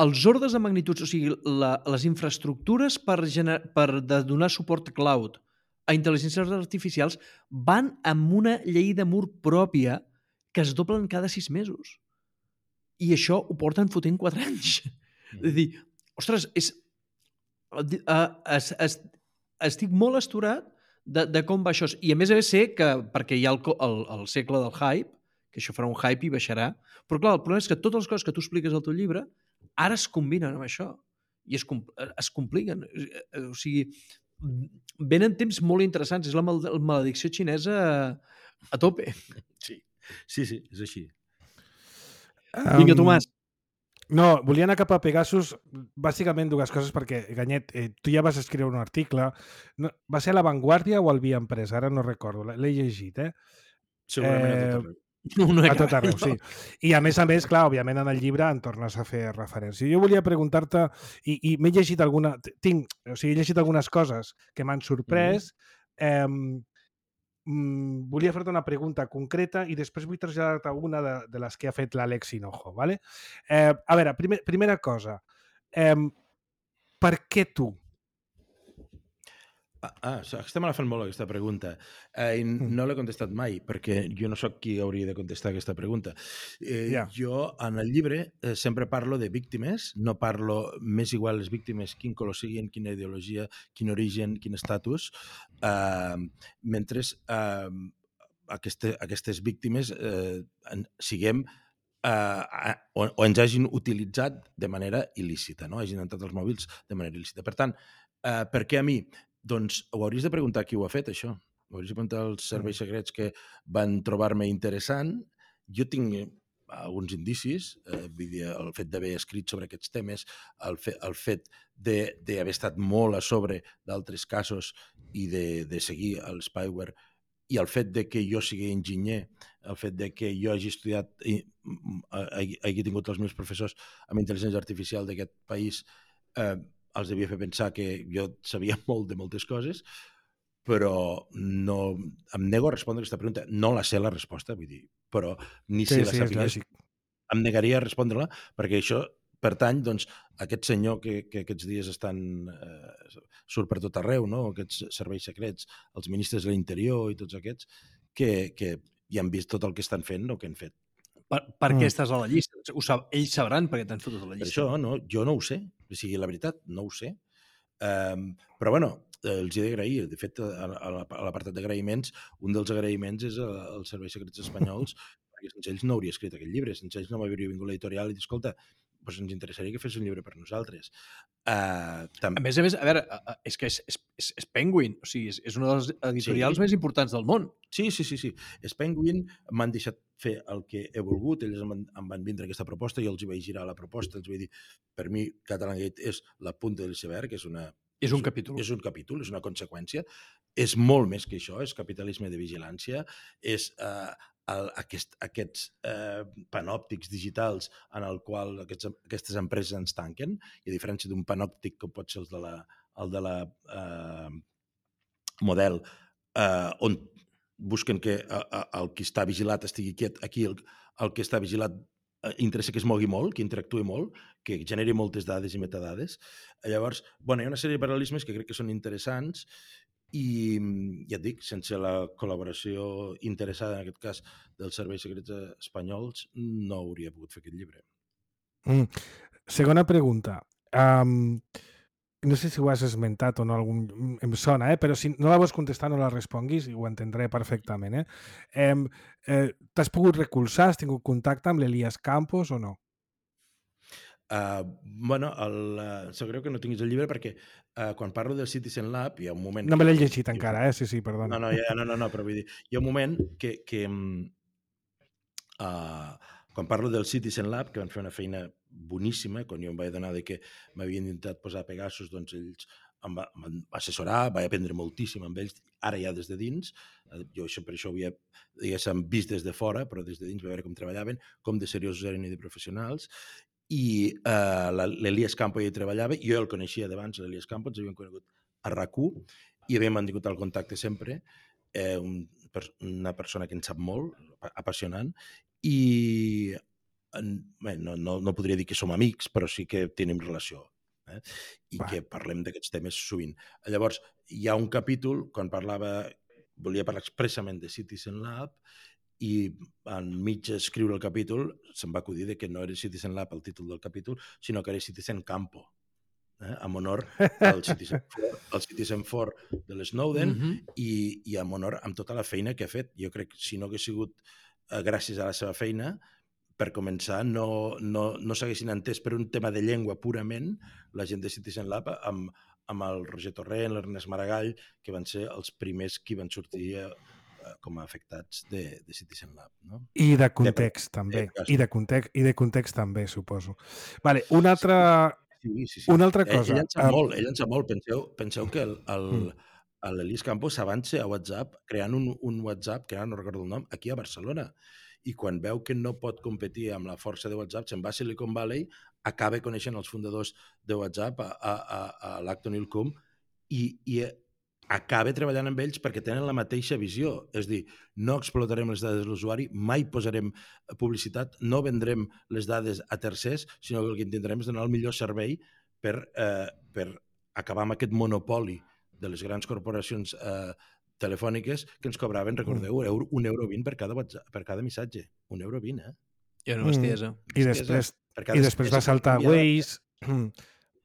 els ordres de magnituds, o sigui, la, les infraestructures per, gener, per de donar suport cloud a intel·ligències artificials van amb una llei de mur pròpia que es doblen cada sis mesos. I això ho porten fotent quatre anys. Mm. És a dir, ostres, és, uh, es, es, estic molt asturat de, de com va això. I a més a més sé que, perquè hi ha el, el, el segle del hype, que això farà un hype i baixarà, però clar, el problema és que totes les coses que tu expliques al teu llibre ara es combinen amb això i es, es compliquen. O sigui, venen temps molt interessants. És la mal maledicció xinesa a, a tope. Sí, sí, sí, és així. Um, Vinga, Tomàs. No, volia anar cap a Pegasus, bàsicament dues coses, perquè, Ganyet, eh, tu ja vas escriure un article. No, va ser a La Vanguardia o al Via Empresa? Ara no recordo, l'he llegit, eh? Segurament Eh, a tot arreu. Una A tot cara, arreu, no? sí. I a més a més, clar, òbviament en el llibre en tornes a fer referència. Jo volia preguntar-te, i, i m'he llegit alguna... Tinc, o sigui, he llegit algunes coses que m'han sorprès. Eh, mm, volia fer-te una pregunta concreta i després vull traslladar-te una de, de les que ha fet l'Àlex Hinojo, ¿vale? Eh, a veure, primer, primera cosa. Eh, per què tu? Ah, ah, aquesta me la fan molt, aquesta pregunta. Eh, i no l'he contestat mai, perquè jo no sóc qui hauria de contestar aquesta pregunta. Eh, Ja. Jo, en el llibre, eh, sempre parlo de víctimes, no parlo més igual les víctimes, quin color siguin, quina ideologia, quin origen, quin estatus, eh, mentre eh, aquesta, aquestes víctimes eh, en, siguem eh, o, o ens hagin utilitzat de manera il·lícita, no? Hagin entrat als mòbils de manera il·lícita. Per tant, eh, per què a mi? Doncs ho hauries de preguntar qui ho ha fet, això. Ho hauries de preguntar als serveis secrets que van trobar-me interessant. Jo tinc alguns indicis, eh, vull dir, el fet d'haver escrit sobre aquests temes, el, fe, el fet d'haver estat molt a sobre d'altres casos i de, de seguir el spyware, i el fet de que jo sigui enginyer, el fet de que jo hagi estudiat i hagi, hagi tingut els meus professors amb intel·ligència artificial d'aquest país, eh, els devia fer pensar que jo sabia molt de moltes coses, però no, em nego a respondre aquesta pregunta. No la sé la resposta, vull dir, però ni Sí, si la sí, és sapigués, lògic. em negaria a respondre-la, perquè això pertany, doncs, a aquest senyor que, que aquests dies estan, eh, surt per tot arreu, no? Aquests serveis secrets, els ministres de l'Interior i tots aquests, que, que ja han vist tot el que estan fent o que han fet. Per, per què Mm. estàs a la llista? Ho sab, ells sabran per què t'han fotut a la Per llista. això, no, jo no ho sé. O sigui, la veritat, no ho sé. Um, però, bueno, els he d'agrair. De fet, a, a l'apartat d'agraïments, un dels agraïments és als serveis secrets espanyols, perquè sense ells no hauria escrit aquest llibre, sense ells no m'hauria vingut l'editorial i dir, escolta, doncs ens interessaria que fes un llibre per nosaltres. Uh, a més a més, a veure, és que és, és, és Penguin, o sigui, és, és una de les editorials Sí. més importants del món. Sí, sí, sí, sí. És Penguin, m'han deixat fer el que he volgut, ells em van, em van vindre aquesta proposta, jo els hi vaig girar la proposta, els vaig dir, per mi Catalangate és la punta del iceberg, és una... És un capítol. És un capítol, és una conseqüència. És molt més que això, és capitalisme de vigilància, és eh, el, aquest, aquests eh, panòptics digitals en el qual aquests, aquestes empreses ens tanquen, i a diferència d'un panòptic com pot ser el de la, el de la eh, model, eh, on busquen que eh, el qui està vigilat estigui quiet, aquí el, el que està vigilat interessa que es mogui molt, que interactui molt, que generi moltes dades i metadades. Llavors, bueno, hi ha una sèrie de paral·lelismes que crec que són interessants i, ja et dic, sense la col·laboració interessada, en aquest cas, dels serveis secrets espanyols, no hauria pogut fer aquest llibre. Mm. Segona pregunta. Um, no sé si ho has esmentat o no, algun, em sona, eh? Però si no la vols contestar no la responguis i ho entendré perfectament. Eh? Eh, eh, T'has pogut recolzar, has tingut contacte amb l'Elias Campos o no? Uh, bueno, el, uh, sap greu que no tinguis el llibre perquè uh, quan parlo del Citizen Lab hi ha un moment... No que, me l'he llegit encara, eh? Sí, sí, perdona. No, no, ja, no, no, no, però vull dir, hi ha un moment que... que uh, quan parlo del Citizen Lab, que van fer una feina boníssima, quan jo em vaig adonar de que m'havien intentat posar Pegasus, doncs ells em va, em van assessorar, vaig aprendre moltíssim amb ells, ara ja des de dins, jo això, per això ho havia, diguéssim, vist des de fora, però des de dins vaig veure com treballaven, com de seriosos eren i de professionals, i uh, l'Elias Campo hi treballava, jo el coneixia d'abans, l'Elias Campo, ens havíem conegut a RAC u, i havíem mantingut el contacte sempre, eh, un, una persona que en sap molt, apassionant, i bé, no, no, no podria dir que som amics, però sí que tenim relació, eh? I Va. que parlem d'aquests temes sovint. Llavors, hi ha un capítol, quan parlava, volia parlar expressament de Citizen Lab, i enmig d'escriure el capítol se'm va acudir de que no era Citizen Lab el títol del capítol, sinó que era Citizen Campo, eh? En honor al Citizen For, al Citizen For de l'Snowden, mm-hmm. i, i en honor amb tota la feina que ha fet. Jo crec que si no hagués sigut eh, gràcies a la seva feina, per començar, no, no, no s'haguessin entès per un tema de llengua purament la gent de Citizen Lab amb, amb el Roger Torrent, l'Ernest Maragall, que van ser els primers qui van sortir eh, com a afectats de, de Citizen Lab. No? I de context, de, també. De, I, de context, I de context, també, suposo. Vale, una altra, sí, sí, sí. Una altra cosa. Ell, ell en sap uh... molt, ell en sap molt. Penseu, penseu que el, el, mm. l'Elias Campos s'avança a WhatsApp creant un, un WhatsApp, que ara no recordo el nom, aquí a Barcelona. i quan veu que no pot competir amb la força de WhatsApp, se'n va a Silicon Valley, acaba coneixent els fundadors de WhatsApp, a, a, a, a l'Acton Ilcum, i, i acaba treballant amb ells perquè tenen la mateixa visió. És dir, no explotarem les dades de l'usuari, mai posarem publicitat, no vendrem les dades a tercers, sinó que el que intentarem és donar el millor servei per, eh, per acabar amb aquest monopoli de les grans corporacions eh, telefòniques que ens cobraven, recordeu, mm. un euro vint per cada, WhatsApp, per cada missatge. Un euro vint, eh? I una bestiesa. Mm. I després, i després va saltar Waze...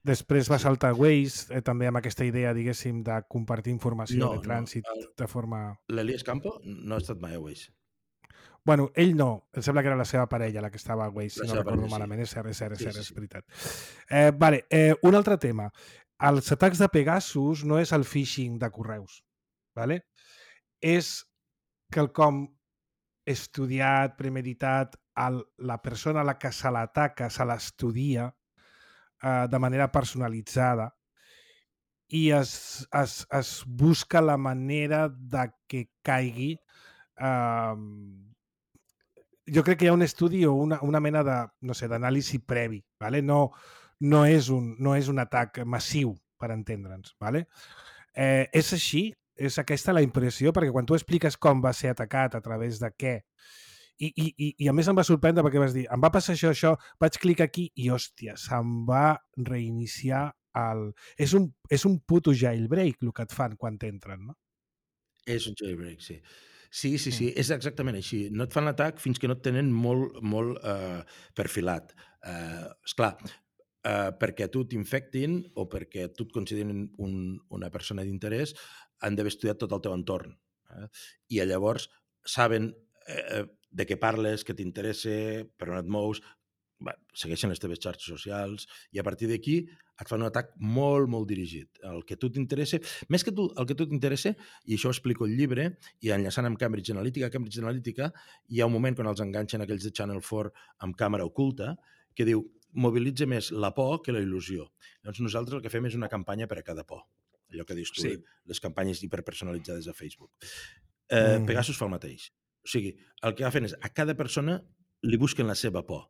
Després va saltar Waze, eh, també amb aquesta idea, diguéssim, de compartir informació no, de trànsit no. de forma... L'Elias Campo no ha estat mai a Waze. Bueno, ell no. Em sembla que era la seva parella la que estava a Waze, si no recordo parella, malament. Sí. És cert, és cert, és, sí, cert, sí, és veritat. Eh, vale, eh, un altre tema. Els atacs de Pegasus no és el phishing de correus. Vale? És quelcom estudiat, premeditat, el, la persona a la que se l'ataca se l'estudia de manera personalitzada i es, es, es busca la manera de que caigui. Eh, jo crec que hi ha un estudi o una, una mena de, no sé, d'anàlisi previ. ¿Vale? No, no, és un, no és un atac massiu, per entendre'ns. ¿Vale? Eh, és així? És aquesta la impressió? Perquè quan tu expliques com va ser atacat, a través de què, I, i, i a més em va sorprendre perquè vas dir, em va passar això, això, vaig clicar aquí i, hòstia, se'm va reiniciar el... És un, és un puto jailbreak el que et fan quan t'entren, no? És un jailbreak, sí. Sí, sí, sí, és exactament així. No et fan l'atac fins que no et tenen molt, molt eh, perfilat. Eh, esclar, eh, perquè tu t'infectin o perquè tu et considerin un, una persona d'interès, han d'haver estudiat tot el teu entorn. Eh? I llavors saben... Eh, de què parles, què t'interessa, per on et mous, bé, segueixen les teves xarxes socials i a partir d'aquí et fan un atac molt, molt dirigit. El que tu t'interessa, més que tu, el que tu t'interessa, i això ho explico al llibre, i enllaçant amb Cambridge Analytica, a Cambridge Analytica hi ha un moment quan els enganxen aquells de Channel four amb càmera oculta que diu, mobilitza més la por que la il·lusió. Llavors nosaltres el que fem és una campanya per a cada por. Allò que dius tu, sí. Les campanyes hiperpersonalitzades a Facebook. Eh, mm. Pegasus fa el mateix. O sigui, el que fan és, a cada persona li busquen la seva por.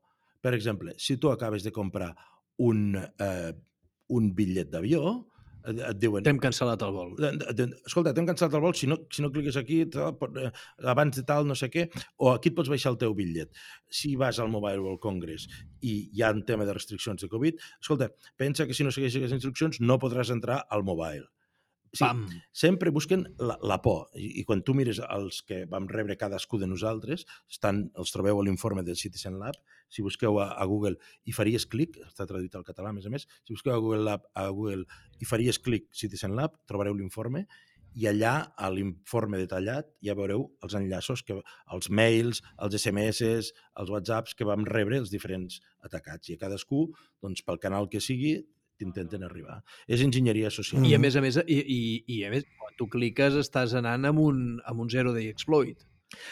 Per exemple, si tu acabes de comprar un, eh, un bitllet d'avió, et, et diuen... T'hem cancel·lat el vol. Escolta, t'hem cancel·lat el vol, si no, si no cliques aquí, tal, abans de tal, no sé què, o aquí et pots baixar el teu bitllet. Si vas al Mobile World Congress i hi ha un tema de restriccions de Covid, escolta, pensa que si no segueixes les instruccions no podràs entrar al mobile. Sí, Pam. Sempre busquen la, la por. I, I quan tu mires els que vam rebre cadascú de nosaltres, estan, els trobeu a l'informe del Citizen Lab, si busqueu a, a Google i faries clic, està traduït al català a més a més, si busqueu a Google Lab, a Google i faries clic Citizen Lab, trobareu l'informe i allà, a l'informe detallat, ja veureu els enllaços, que, els mails, els S M S, els WhatsApps que vam rebre els diferents atacats. I a cadascú, doncs, pel canal que sigui, intenten arribar. És enginyeria social. I a més a més, i, i, i a més, quan tu cliques estàs anant amb un, amb un zero day exploit.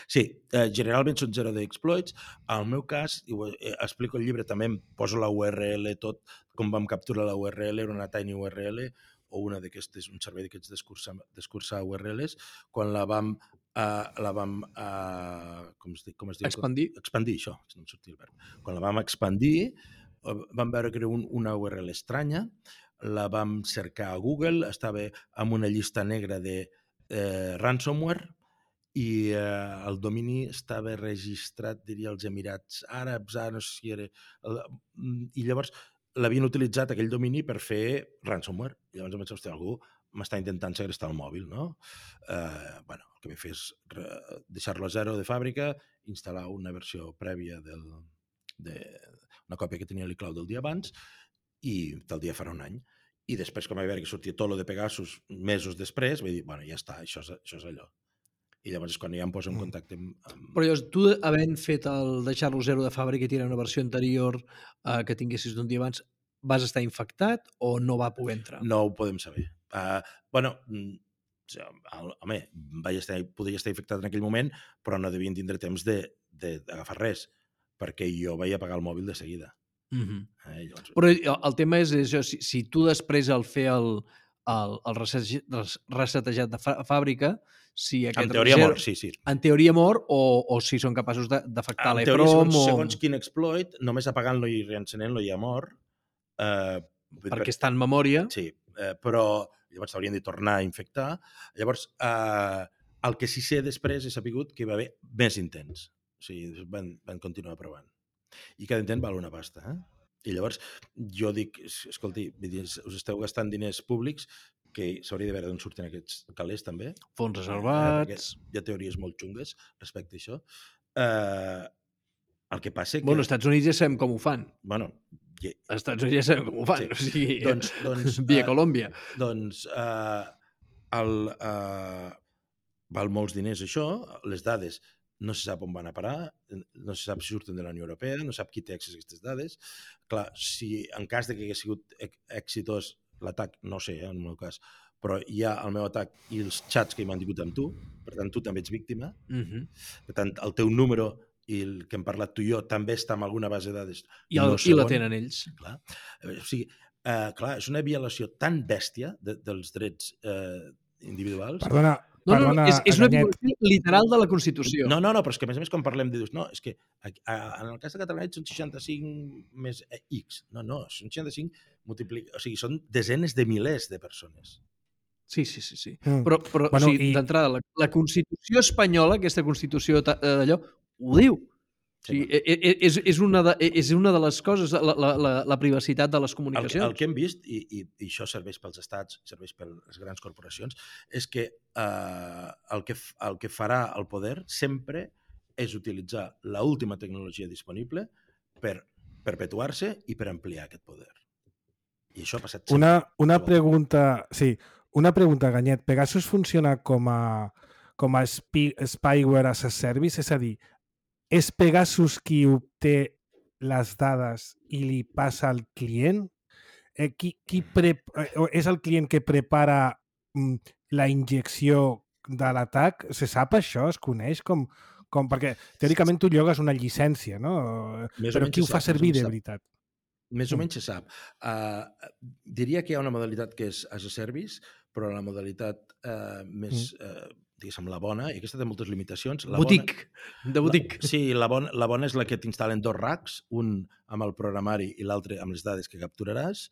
Sí, eh, generalment són zero day exploits. Al meu cas, i ho eh, explico el llibre, també em poso la U R L, tot com vam capturar la U R L, era una tiny U R L o una d'aquestes, un servei d'aquests d'escurçar U R Ls, quan la vam Uh, la vam uh, com es diu? Com es diu? Expandir. Expandir, això, no em sortia el verb. Quan la vam expandir, vam veure que era un, una U R L estranya, la vam cercar a Google, estava en una llista negra de eh, ransomware i eh, el domini estava registrat, diria, als Emirats Àrabs, ah, no sé si era... I llavors l'havien utilitzat aquell domini per fer ransomware. I llavors em vaig dir, algú m'està intentant segrestar el mòbil, no? Eh, bueno, el que vaig fer és deixar-lo a zero de fàbrica, instal·lar una versió prèvia del, de, una còpia que tenia l'iCloud del dia abans i tal dia farà un any. I després, com vaig veure que sortia tot lo de Pegasus mesos després, vaig dir, bueno, ja està, això és, això és allò. I llavors és quan ja em poso en contacte amb... amb... Però llavors, tu, havent fet el deixar-lo zero de fàbrica i tirar una versió anterior eh, que tinguessis d'un dia abans, vas estar infectat o no va poder entrar? No ho podem saber. Uh, bueno, home, vaig estar, podria estar infectat en aquell moment, però no devien tindre temps d'agafar res, perquè jo vaig apagar el mòbil de seguida. Mm-hmm. eh, llavors... Però el tema és això, si, si tu després al fer el, el, el reset- res- resetejat de fa- fàbrica, si aquest En teoria zero- mor, sí, sí. En teoria mor, o, o si són capaços de- d'afectar En teoria, l'EPROM, segons, o... segons quin exploit, només apagant-lo i reencenent-lo ja mor. Eh, perquè està en memòria. Sí, eh, però llavors s'haurien de tornar a infectar. Llavors, eh, el que sí sé després he sapigut que hi va haver més intents. O sigui, van, van continuar provant. I cada intent val una pasta, eh? I llavors jo dic, escolti, us esteu gastant diners públics que s'hauria de veure d'on surten aquests calés també. Fons Eh, reservats... hi ha teories molt xungues respecte a això. Eh, el que passa que... Bueno, als Estats Units ja sabem com ho fan. Bueno, yeah. Als Estats Units ja sabem com ho fan. Sí. O sigui, Doncs, doncs, via eh, Colòmbia. Doncs eh, el, eh, val molts diners això, les dades no se sap on van a parar, no se sap si surten de la Unió Europea, no sap qui té accés a aquestes dades. Clar, si en cas de que hagués sigut exitós l'atac, no sé, eh, en el meu cas, però hi ha el meu atac i els xats que he mantingut amb tu, per tant, tu també ets víctima. Uh-huh. Per tant, el teu número i el que hem parlat tu i jo també està en alguna base de dades. I, el, no i la tenen ells. Clar. O sigui, eh, clar, és una violació tan bèstia de, dels drets eh, individuals. Perdona, No, no, perdona, no, és, és una Ganyet. violació literal de la Constitució. No, no, no, però és que a més a més quan parlem de dius, no, és que a, a, en el cas de Catalunya són seixanta-cinc més X. No, no, són seixanta-cinc multiplica... O sigui, són desenes de milers de persones. Sí, sí, sí. sí. Mm. Però, però Bueno, o sigui, i- d'entrada, la, la Constitució espanyola, aquesta Constitució ta- eh, d'allò, ho diu. O sigui, e- e- és, és, una de, és una de les coses, la, la, la, la privacitat de les El, que- comunicacions. el que hem vist, i, i, i això serveix pels estats, serveix per les grans corporacions, és que, eh, el, que f- el que farà el poder sempre és utilitzar l'última tecnologia disponible per perpetuar-se i per ampliar aquest poder. I això ha passat sempre. Una, una Qualsevol. pregunta, sí, una pregunta, Ganyet. Pegasus funciona com a, com a spi, spyware as a service? És a dir, és Pegasus qui obté les dades i li passa al client? Eh, qui, qui pre, eh, és el client que prepara mm, la injecció de l'atac? Se sap això? Es coneix? Com, com, perquè teòricament tu llogues una llicència, no? Més o Però menys qui ho se fa sap, més o servir menys de sap. veritat? Més o Mm. menys se sap. Uh, diria que hi ha una modalitat que és as a service, però la modalitat uh, més, uh, diguéssim, la bona, i aquesta té moltes limitacions. La Botic, bona, de botic. La, sí, la bona, la bona és la que t'instal·len dos racks, un amb el programari i l'altre amb les dades que capturaràs,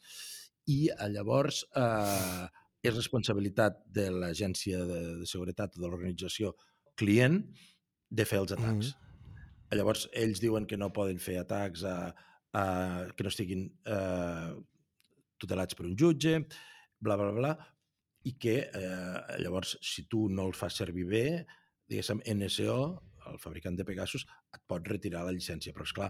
i eh, llavors eh, és responsabilitat de l'agència de, de seguretat o de l'organització client de fer els atacs. Mm. Llavors, ells diuen que no poden fer atacs a, a, que no estiguin eh, tutelats per un jutge, bla, bla, bla, i que eh, llavors, si tu no el fas servir bé, diguéssim, N S O, el fabricant de Pegasus, et pot retirar la llicència. Però, esclar,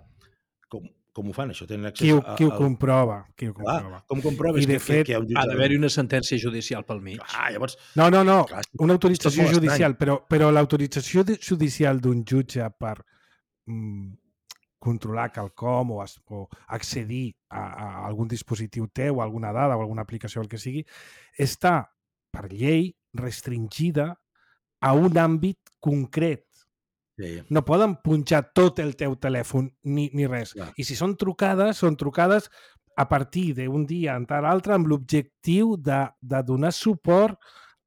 com, com ho fan, això? Tenen accés Qui ho, a... qui ho al- comprova? Qui ho Clar, comprova? com comproves I de que, fet, que, que hi ha un Ha jutge... d'haver-hi una sentència judicial pel mig. Clar, llavors... No, no, no, Clar, una és autorització tot molt judicial, estrany. però, però l'autorització de- judicial d'un jutge per mm, controlar quelcom o, es, o accedir a, a algun dispositiu teu, a alguna dada o alguna aplicació, el que sigui, està per llei restringida a un àmbit concret. Sí, No poden punxar tot el teu telèfon ni, ni res. Clar. I si són trucades, són trucades a partir d'un dia en tal altre amb l'objectiu de, de donar suport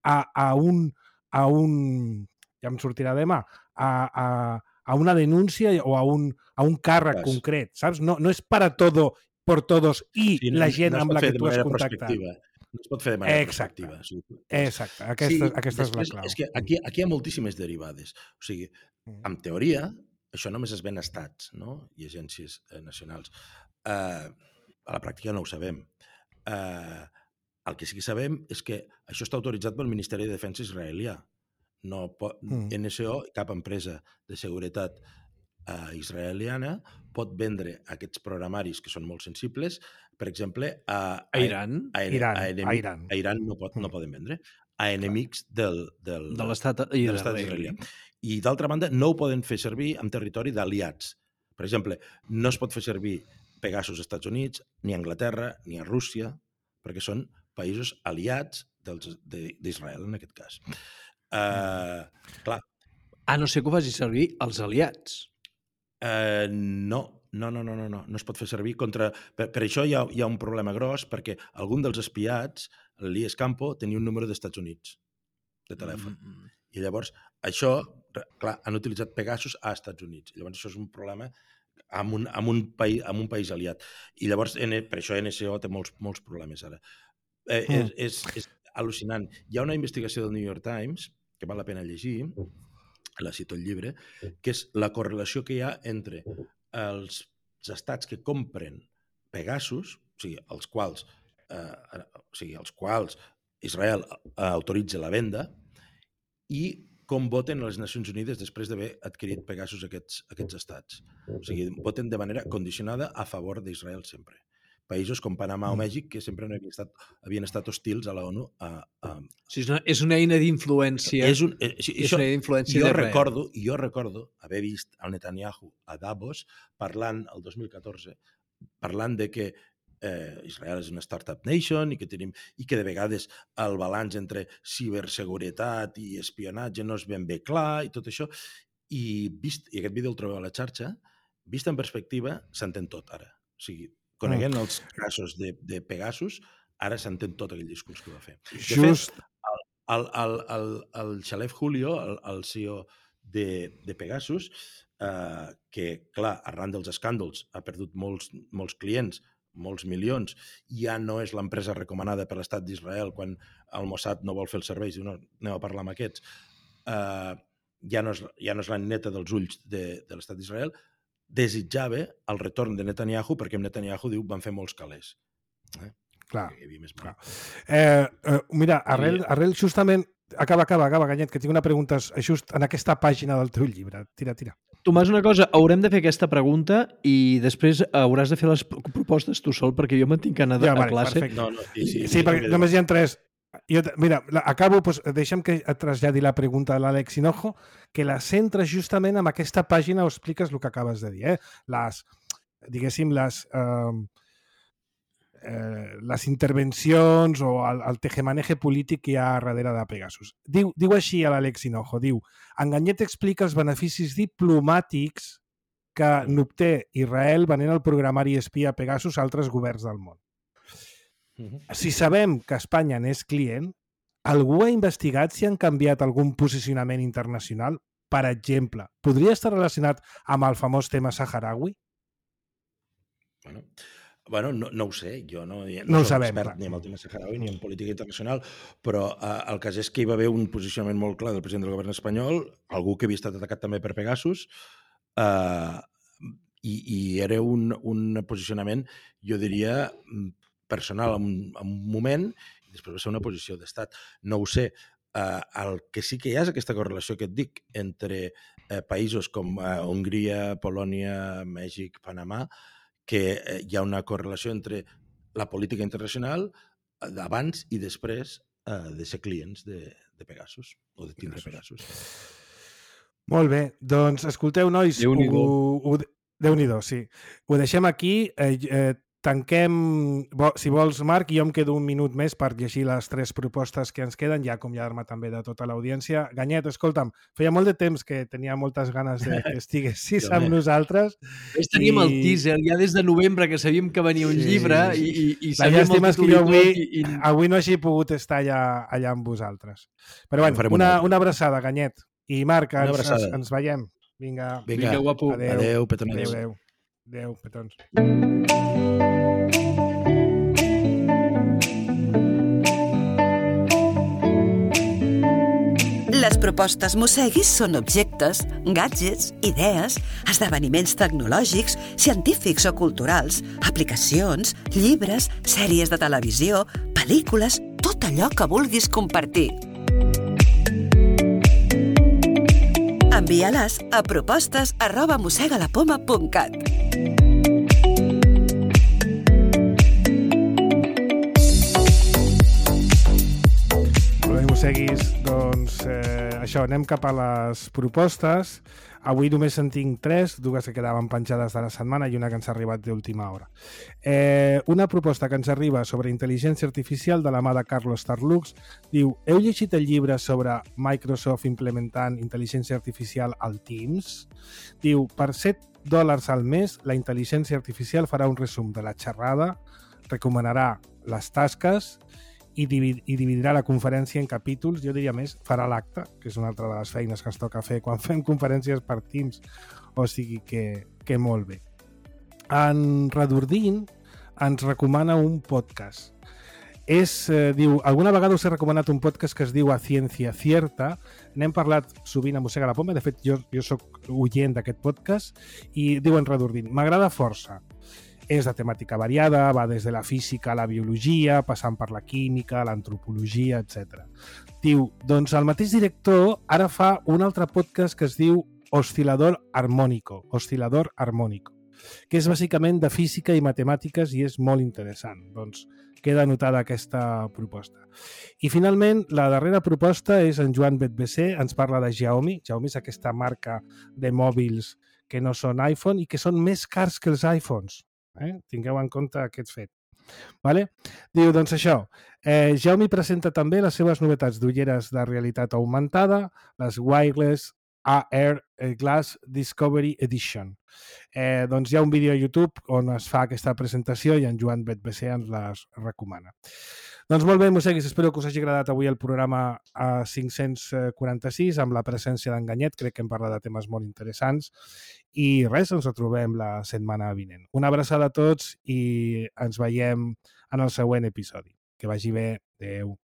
a, a, un, a un... ja em sortirà demà, a, a, a una denúncia o a un, a un càrrec Clar. concret, saps? No, no és para todo, por todos i sí, la gent no es amb pot la fer que de tu has manera contactat. prospectiva. No es pot fer de manera Exacte. prospectiva. Sí. Exacte, aquesta, Sí, aquesta és la després, clau. És que aquí, aquí hi ha moltíssimes derivades. O sigui, Mm. en teoria, això només es ven a estats, no? I agències eh, nacionals. Eh, a la pràctica no ho sabem. Eh, el que sí que sabem és que això està autoritzat pel Ministeri de Defensa israelià. No pot, Mm. N S O, cap empresa de seguretat eh, israeliana, pot vendre aquests programaris que són molt sensibles, per exemple, a, A Iran, a, a, Iran, a, a enemics, Iran. a Iran no, pot, no Mm. poden vendre, a enemics del, del, de l'estat de i l'estat d'Israel. israelià. I d'altra banda, no ho poden fer servir en territori d'aliats. Per exemple, no es pot fer servir Pegasus als Estats Units, ni a Anglaterra, ni a Rússia, perquè són països aliats dels- de- d'Israel, en aquest cas. Uh, clar, A no ser que ho faci servir els aliats. uh, no, no, no, no, no, no, no es pot fer servir contra... Per, per això hi ha, hi ha un problema gros, perquè algun dels espiats, l'I E S Campo tenia un número d'Estats Units de telèfon. Mm-hmm. I llavors, això, clar, han utilitzat Pegasus a Estats Units. I llavors això és un problema amb un, amb un, país, amb un país aliat. I llavors, per això N S O té molts, molts problemes ara. Eh, mm. és, és, és al·lucinant. Hi ha una investigació del New York Times que val la pena llegir, la cito el llibre, que és la correlació que hi ha entre els estats que compren Pegasus, o sigui, els quals, eh, o sigui, els quals Israel autoritza la venda, i com voten a les Nacions Unides després d'haver adquirit Pegasus aquests, aquests estats. O sigui, voten de manera condicionada a favor d'Israel sempre. Països com Panamà o Mèxic, que sempre no havien estat, havien estat hostils a la ONU. A, a... O sigui, és, una, és una eina d'influència. És, un, eh, sí, és això, una eina d'influència jo de recordo, jo recordo haver vist el Netanyahu a Davos parlant, el dos mil catorze, parlant de que eh, Israel és una startup nation i que, tenim, i que de vegades el balanç entre ciberseguretat i espionatge no és ben bé clar i tot això. I, vist, i aquest vídeo el trobeu a la xarxa, vist en perspectiva, s'entén tot ara. O sigui, coneguent mm. els casos de, de Pegasus, ara s'entén tot aquell discurs que va fer. De Just... fet, el, el, el, el, el Xalef Julio, el, el C E O de, de Pegasus, eh, que, clar, arran dels escàndols ha perdut molts, molts clients, molts milions, ja no és l'empresa recomanada per l'estat d'Israel quan el Mossad no vol fer els serveis, diu, no, anem a parlar amb aquests, eh, ja no és, ja no és la neta dels ulls de, de l'estat d'Israel, desitjava el retorn de Netanyahu perquè Netanyahu diu van fer molts calés. Eh? Clar. Més clar. Eh, eh, mira, arrel, arrel justament... Acaba, acaba, acaba, Ganyet, que tinc una pregunta just en aquesta pàgina del teu llibre. Tira, tira. Tomàs, una cosa, haurem de fer aquesta pregunta i després hauràs de fer les propostes tu sol perquè jo me'n tinc que anar ja, a vale, classe. Perfecte. No, no, sí, sí, sí, sí perquè només hi ha tres... Jo, mira, acabo, doncs, deixa'm que et traslladi la pregunta de l'Àlex Hinojo, que la centres justament en aquesta pàgina on expliques el que acabes de dir. Eh? Les, diguéssim, les, eh, eh, les intervencions o el, el tejemaneje polític que hi ha darrere de Pegasus. Diu, diu així a l'Àlex Hinojo, diu, en Ganyet explica els beneficis diplomàtics que n'obté Israel venent el programari espia Pegasus a altres governs del món. Si sabem que Espanya n'és client, algú ha investigat si han canviat algun posicionament internacional? Per exemple, podria estar relacionat amb el famós tema saharaui? Bueno, bueno no, no ho sé, jo no, no, no soc sabem, expert clar. ni en el tema saharaui ni en política internacional, però eh, el cas és que hi va haver un posicionament molt clar del president del govern espanyol, algú que havia estat atacat també per Pegasus, eh, i, i era un, un posicionament, jo diria, personal en un, en un moment, i després va ser una posició d'estat. No ho sé. Eh, el que sí que hi ha és aquesta correlació que et dic entre eh, països com eh, Hongria, Polònia, Mèxic, Panamà, que eh, hi ha una correlació entre la política internacional d'abans i després eh, de ser clients de, de Pegasus, o de tindre Pegasus. Molt bé. Doncs, escolteu, nois, Déu-n'hi-do. ho, ho, Déu-n'hi-do, sí. Ho deixem aquí. Eh, eh, Tanquem, si vols, Marc, jo em quedo un minut més per llegir les tres propostes que ens queden, ja acomiadar-me també de tota l'audiència. Ganyet, escolta'm, feia molt de temps que tenia moltes ganes de que estiguessis amb nosaltres. Ves teníem i... el teaser, ja des de novembre, que sabíem que venia un sí, llibre i, i, i la llàstima és que jo avui, i, i... avui no hagi pogut estar allà, allà amb vosaltres. Però bueno, una, una abraçada, Ganyet. I Marc, ens, ens, ens veiem. Vinga, Vinga, Vinga guapo. Adéu, adéu petons. Adéu, adéu. Adéu, petons. Les propostes Mosseguis són objectes, gadgets, idees, esdeveniments tecnològics, científics o culturals, aplicacions, llibres, sèries de televisió, pel·lícules, tot allò que vulguis compartir. Envia-les a propostes arroba mossegalapoma punt cat. Seguis, doncs eh, això, anem cap a les propostes. Avui només en tinc tres, dues que quedaven penjades de la setmana i una que ens ha arribat d'última hora. Eh, una proposta que ens arriba sobre intel·ligència artificial de la mà de Carlos Tarlux diu, heu llegit el llibre sobre Microsoft implementant intel·ligència artificial al Teams? Diu, per set dòlars al mes la intel·ligència artificial farà un resum de la xerrada, recomanarà les tasques i, divid i dividirà la conferència en capítols, jo diria més, farà l'acte, que és una altra de les feines que ens toca fer quan fem conferències per Teams, o sigui que, que molt bé. En Redordint ens recomana un podcast. És, eh, diu, alguna vegada us he recomanat un podcast que es diu A Ciencia Cierta. N'hem parlat sovint a Mossega la Poma. De fet, jo, jo soc oient d'aquest podcast i diuen Redordint. M'agrada força. És de temàtica variada, va des de la física a la biologia, passant per la química, l'antropologia, etcètera. Diu, doncs el mateix director ara fa un altre podcast que es diu Oscilador Armónico, Oscilador Armónico, que és bàsicament de física i matemàtiques i és molt interessant. Doncs queda anotada aquesta proposta. I finalment, la darrera proposta és en Joan Betbesser, ens parla de Xiaomi. Xiaomi és aquesta marca de mòbils que no són iPhone i que són més cars que els iPhones. Eh? Tingueu en compte aquest fet. Vale? Diu, doncs això, eh, Xiaomi presenta també les seves novetats d'ulleres de realitat augmentada, les Wireless A R Glass Discovery Edition. Eh, doncs hi ha un vídeo a YouTube on es fa aquesta presentació i en Joan Betbesser ens les recomana. Doncs molt bé, mosseguis, espero que us hagi agradat avui el programa a cinc-cents quaranta-sis amb la presència d'Enganyet. Crec que hem parlat de temes molt interessants i res, ens retrobem la setmana vinent. Una abraçada a tots i ens veiem en el següent episodi. Que vagi bé. Adéu.